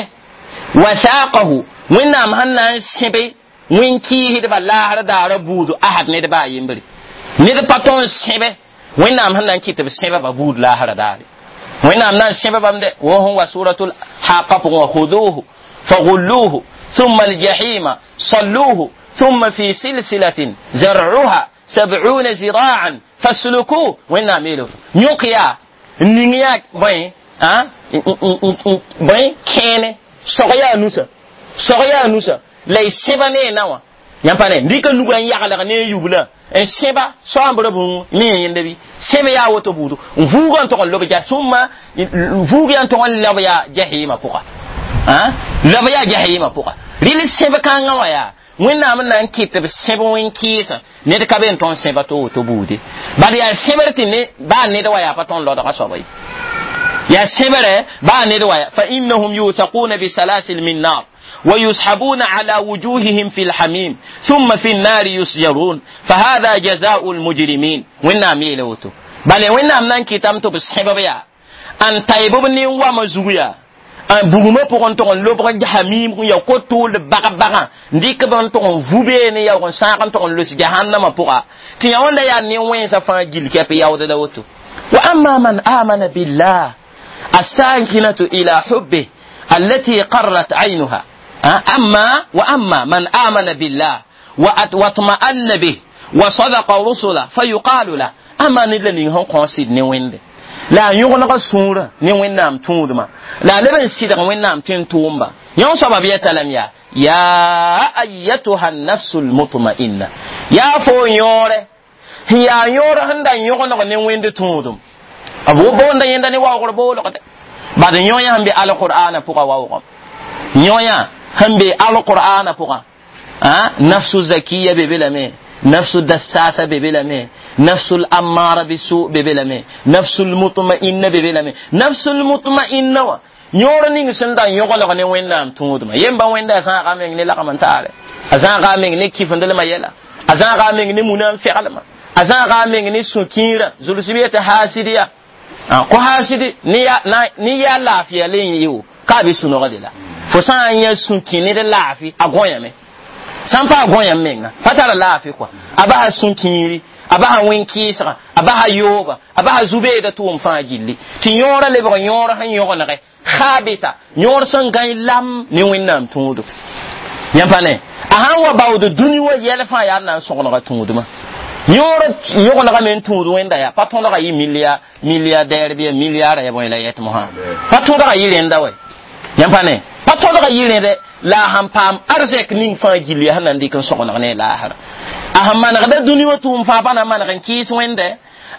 wathaqahu wẽnnaam sẽn na n sẽbe wẽn-kɩɩsdba laasr daara buudu ahad ned baa yembre ned pa tõn n sẽbe wẽnnaam sẽn na n kɩt b sẽba ba buud laasra daare Wẽnnaam na n sẽba bãmb dɛ wo sẽn wa suratul haqa pʋgẽ wã khuduhu فغلوه ثم الجحيم صلوه ثم في سلسلة زرعها سبعون ذراعا فاسلكوه وين نعمله نيوكيا نينيا بين ها بين كين سوغيا نوسا سوغيا نوسا لا سباني نوا yãmpa ne rɩka nugã n yaglg ne yubla n sẽba soambra bũu mi yẽnda bɩ sẽb yaa woto buudu n vuugã n tog n lob ja sũmma vuug yaa n tog n leb yaa jahima pʋga leb yaa jahima pʋga rɩl sẽb kãngã wã yaa wẽnnaam n na n kɩt b sẽb wẽn-kɩɩsã ned ka be n tõnd sẽba to woto buude bad yaa sẽbr tɩ ne baa ned wa yaa pa tõnd lodga soaba ye yaa sẽbre baa ned wa fa innahum yusaquna bisalasil min nar ويسحبون على وجوههم في الحميم ثم في النار يسجرون فهذا جزاء المجرمين وين ميلوتو بل وين نان كتام تو بسبب يا ان تايبو ني وما زويا an bugumã pʋgẽ tʋg n lobg jahamim ya ko-tʋʋld bag-bagã n dɩk b n tʋg n vu beene yaoog n sãag n tʋg n los jahannamã pʋga tɩ yã wẽnda yaa ne-wẽnsã fãa gil kɛp yaood la woto wa amma man amana billah الساكنة إلى حبه التي قرت عينها أما وأما من آمن بالله واطمأن به وصدق رسله فيقال له أما ندلني هون قاصد نويند la yõgeneg sũurã ne wẽnnaam tũudmã la a leb n sɩdg wẽnnaam tɩ n tʋʋmba yõ soaba b yɛta lame yaa yaa ayatuha nafsu lmutma'inna yaa fo yõore sẽn yaa yõor sẽn da yõgeneg ne wẽnd tũudum b boonda yẽnda ne waoogr boolgde bad yõ yã sẽn be alqur'ana pʋga waoogem yõ yã sẽn be alqur'ana pʋgã nafsu zakiya be be lame nafsu dassasa be be lame nafsu l'ammara bisu be be lame nafsu lmutma'inna be be lame nafsu lmutma'inna wã yõor ning sẽn da yõgelg ne wẽnnaam tũudmã yemba wẽnda a zãaga meng ne lagm n taare a zãaga meng ne kifendelmã yɛla a zãaga meng ne muna n feglmã a zãaga meng ne sũ-kiirã zulsb yetɩ haasidiya ko haasidi ne yaa laafɩya le n yɩ ka a be sũ-nogde la fo sã n yã sũ-kĩ ned laafɩ a gõyame sã n pa a gõyam menga pa tara laafɩ kɔa a basa sũ-kiiri a basa wẽn-kɩɩsgã a basa yooga a basa zu-beeda tʋʋm fãa gilli tɩ yõorã lebg yõor sẽn yõgenege khabita yõor sẽn gãe lam ne wẽnnaam tũudu yãmb pa ne a sãn wa baood dũni wa yɛl fãa yaa na n sõgenega tũudmã yõor yõgenega me n tũud wẽnda yaa pa tõdga yɩ milia milliardaire bɩ milliard ya bõe la yɛt mosã pa tõdga yɩ rẽnda wɛ yãmb pa ne pa tõdga yɩ rẽde la a sãn paam arzɛk ning fãa gilli sẽn na n dɩk n sõgeneg ne laasra a sẽn manegda dũni wã tʋʋm fãa pa na n maneg n kɩɩs wẽnde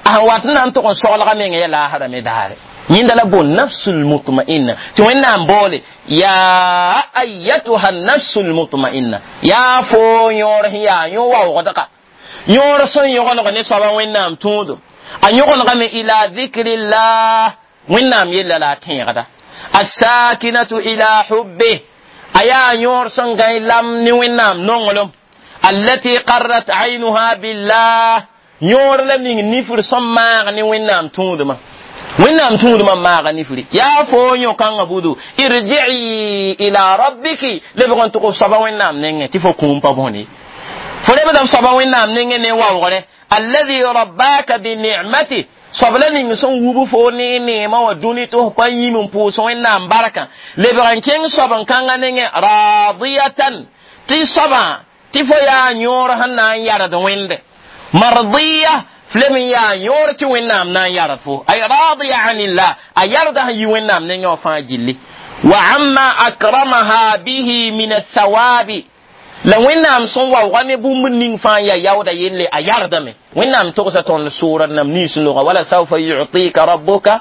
a sẽn wat n na n tʋg n soglga meng ya laasra me daare yẽnda la boon nafsul mutma'inna tɩ wẽnnaam boole yaa ayatuha nafsul mutma'inna yaa fo yõor sẽn yaa yõ waoogdga yõor sẽn yõgeneg ne soaba wẽnnaam tũudum a yõgenegame ila dhikrillah wẽnnaam yella la a tẽegda الساكنة إلى حبه أيا يور سنغاي لم نوينام نونغلوم التي قرت عينها بالله يور لم نفر سماغ نوينام تودما وينام تودما ماغ نفري يا فو يو كان بودو ارجعي إلى ربك لبغن تقو صبا وينام نينغ تفو كومبا بوني فلبدا صبا وينام نينغ ني واوغره الذي رباك بنعمته sobla ning sẽn wub fo ne neemã wã dũni tɩ f pa yĩm n pʋʋs wẽnnaam barkã lebg n kẽng soab n kãngã nengẽ radiyatan tɩ soabã tɩ fo yaa yõor sẽn na n yard wẽnde mardiya f leb n yaa yõor tɩ wẽnnaam na n yard fo ay radiya anillah a yarda sẽn yi wẽnnaam nengẽ wã fãa gilli wa amma akramaha bihi min athawabi la wẽnnaam sẽn waooga ne bũmb ning fãa ya yaooda yelle a yardame wẽnnaam togsa tõnd sʋʋra nam nins loga wala saufa yutika rabbuka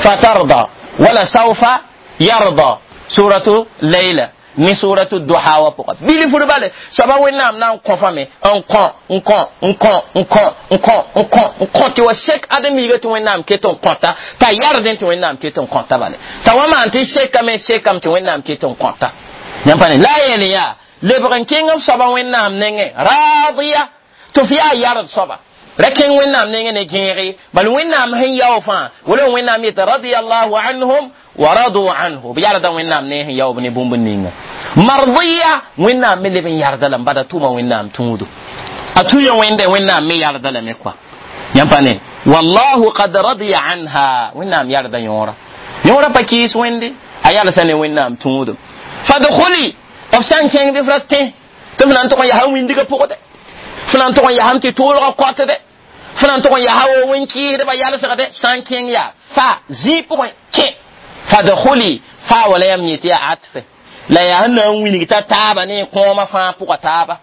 fatarda wala saufa yarda suratu layla ni suratu duha wa pʋga bilfr bale soaba wẽnnaam na n kõfame n kõ n kõ n kõ n kõ n kõ n kõ n kõ tɩ wa sek adem-yiiga tɩ wẽnnaam ket n kõta t'a yardẽ tɩ wẽnnaam ket n kõta bale t'a wa maan tɩ sekame sekame tɩ wẽnnaam ket n kõta yãmb pa ne la a yeel yaa lebg n kẽng f soaba wẽnnaam nengẽ radiya tɩ f yaa yard soaba ra kẽng wẽnnaam nengẽ ne gẽege bal wẽnnaam sẽn yao fãa wala wẽnnaam yetɩ radiallahu anhum wa radu anhu b yarda wẽnnaam ne sẽn yaoob ne bũmb ninga mardiya wẽnnaam me leb n yarda lame bada tʋma wẽnnaam tũudo a tũya wẽnde wẽnnaam me yarda lame kɔa Yãmb pa ne wallahu qad radiya anha wẽnnaam yarda yõora yõora pa kɩɩs wẽnde a yalsa ne wẽnnaam tũudum fadkhuli b sã n kẽng bɩ f ra tẽ tɩ f na n tʋg n yaa wĩndgã pʋgdɛ f na n tʋg n yaasame tɩ toolgã kɔtdɛ f na n tʋg n yaa wo wẽn-kɩɩsdbã yalsgdɛ sã n kẽng yaa fa zĩig pʋgẽ kẽ fadkhuli fa wala yãmb yẽ tɩ yaa atfe la yaa sẽn na n wilg t'a taaba ne kõomã fãa pʋga taaba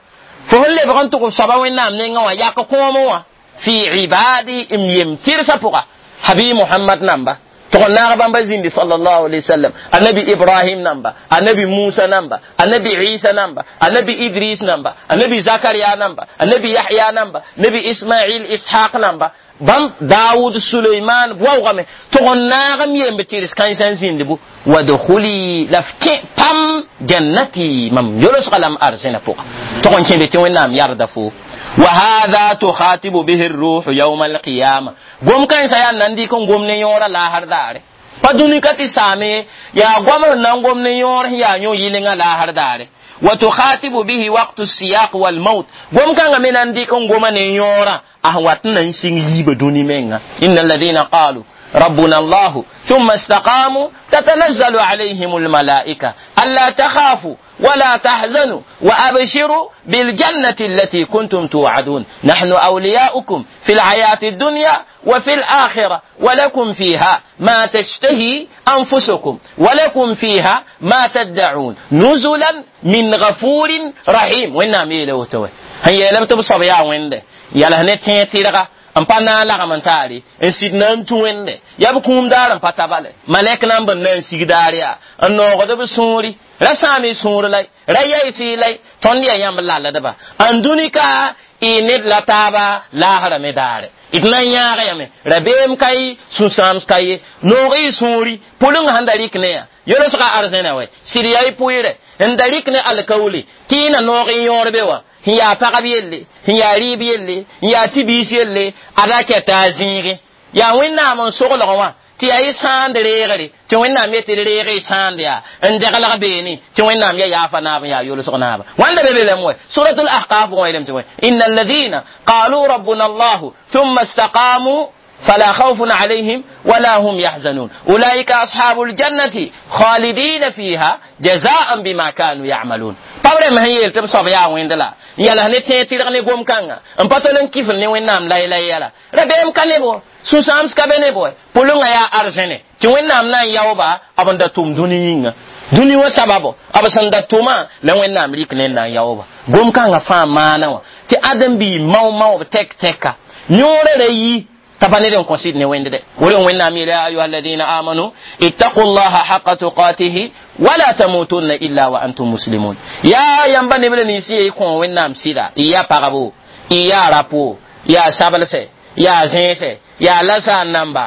fo sẽn lebg n tʋg f soaba wẽnnaam nengã wã yak kõomẽ wã fi ibadi m yem tɩrsã pʋga habi muhammad namba tʋg n naag bãmba zĩndi sallallahu alaihi wasallam annabi ibrahim namba annabi musa namba annabi isa namba annabi idris namba annabi zakaria namba annabi yahya namba nabi ismail ishaq namba bãmb daawud suleiman waoogame tʋg n naag m yemb tɩrs kãensã n zĩnd bu wadkhuli la f kẽ pam jannati mam yolsga la m arzẽna pʋga tʋg n kẽnde tɩ wẽnnaam yarda fo وهذا تخاطب به الروح يوم القيامة قوم كان سيان نندي كون قوم نيورا لا هر دار فدوني كتي سامي يا قوم نان قوم نيور يا نيو يلينغا لا هر دار وتخاطب به وقت السياق والموت قوم كان من نندي كون قوم نيورا أهواتنا نسين يب دوني منغا إن الذين قالوا ربنا الله ثم استقاموا تتنزل عليهم الملائكة ألا تخافوا ولا تحزنوا وأبشروا بالجنة التي كنتم توعدون نحن أولياؤكم في الحياة الدنيا وفي الآخرة ولكم فيها ما تشتهي أنفسكم ولكم فيها ما تدعون نزلا من غفور رحيم وإنا ميلو توي هيا لم تبصر يا وين يلا هنتي تيرغا n pa na n lagm n taare n sɩd na n tũ wẽnde yaa b kũum daar n pa tabale malɛk na n bõn na n sig daar yaa n noogd b sũuri ra sãam y sũur la ra yaɩs-y la tõnd yaa yãmb lalldba n dũni ka y ned la taaba laasra me daare d na n yãag yame rabeem ka ye sũ-sãams ka ye noog y sũuri pʋleng sẽn da rɩk ne yaa yolsga arzẽna wɛ sɩd yaa y pʋɩɩrɛ n da rɩk ne alkaoole tɩ y na noog n yõor be wã sẽn yaa pagb yelle sẽn yaa rɩɩb yelle n yaa tɩ-biis yelle ada kɛta a zĩige yaa wẽnnaam n soglg wã tɩ yaa y sãand reegre tɩ wẽnnaam yetɩ d reeg y sãand yaa n deglg beene tɩ wẽnnaam ya yaafa naab n yaa yolsg naaba wãnda be be lame wɛ suratul ahqaf pʋgẽ yeelame tɩ wɛ inna alladhina qalu rabbuna allahu thumma istaqamu فلا خوف عليهم ولا هم يحزنون أولئك أصحاب الجنة خالدين فيها جزاء بما كانوا يعملون pabra ma yel tɩ b soab yaa wẽnd la n yals ne tẽeg tɩrg ne gom-kãnga n pa tol n kifl ne wẽnnaam laylay yɛla rabeem ka ne bo sũ-sãams ka be ne bo pʋlengã yaa arzẽne tɩ wẽnnaam na n yaooba b n da tʋm dũni yĩnga dũni wã sababo b sẽn da tʋmã la wẽnnaam rɩk ne n na n yaooba gom-kãngã fãa maana wã tɩ ãdem-biig mao-mao b tɛk-tɛka yõorã ra yi تبني كونسيد نوين ده ولو وين نامي يا أيها الذين آمنوا اتقوا الله حق تقاته ولا تموتن إلا وأنتم مسلمون يا ينبني بل نسي يكون وين نام سيدا يا باربو يا رابو يا سابلسه يا زينسه يا لسا نمبا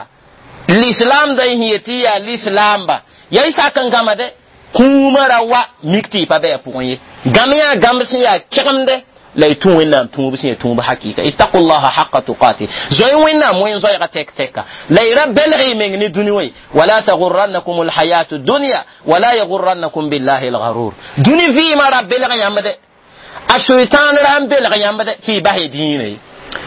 الإسلام ده هي تي يا الإسلام با يا إسا كان كما ده كوما روا ميكتي بابا بوين غاميا غامسي يا كرم ده la y tũ wẽnnaam tũub sẽn ya tũub hakɩɩka ittaqu llaha haqa tuqati zoe wẽnnaam wẽn zoɛɛga tɛk tɛka la y ra belg y meng ne dũni wã wala tagurrannakum alhayatu dunya wala yagurrannakum billahi algarur dũni vɩɩmã ra belg yãmb dɛ a soitan ra n belg yãmb dɛ tɩ y bas y dĩinã ye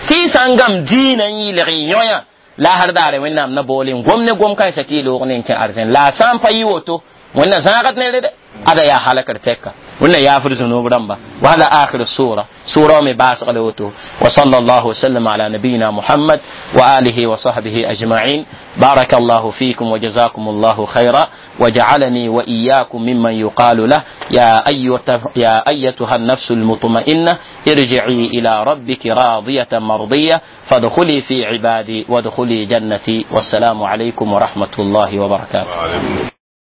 tɩ y sã n gam dĩinã n yɩlg y yõ-yã la har daare wẽnnaam na boole n gom ne gom kãensã tɩ y loog ne n kẽ arzẽn la a sã n pa yɩ woto wẽnna zãagd nere dɛ ada yaa halakr tɛka wẽnna yaafd zũnub rãmba وهذا آخر السورة سورة مباسق لوتو وصلى الله وسلم على نبينا محمد وآله وصحبه أجمعين بارك الله فيكم وجزاكم الله خيرا وجعلني وإياكم ممن يقال له يا أيتها, يا أيتها النفس المطمئنة ارجعي إلى ربك راضية مرضية فادخلي في عبادي وادخلي جنتي والسلام عليكم ورحمة الله وبركاته.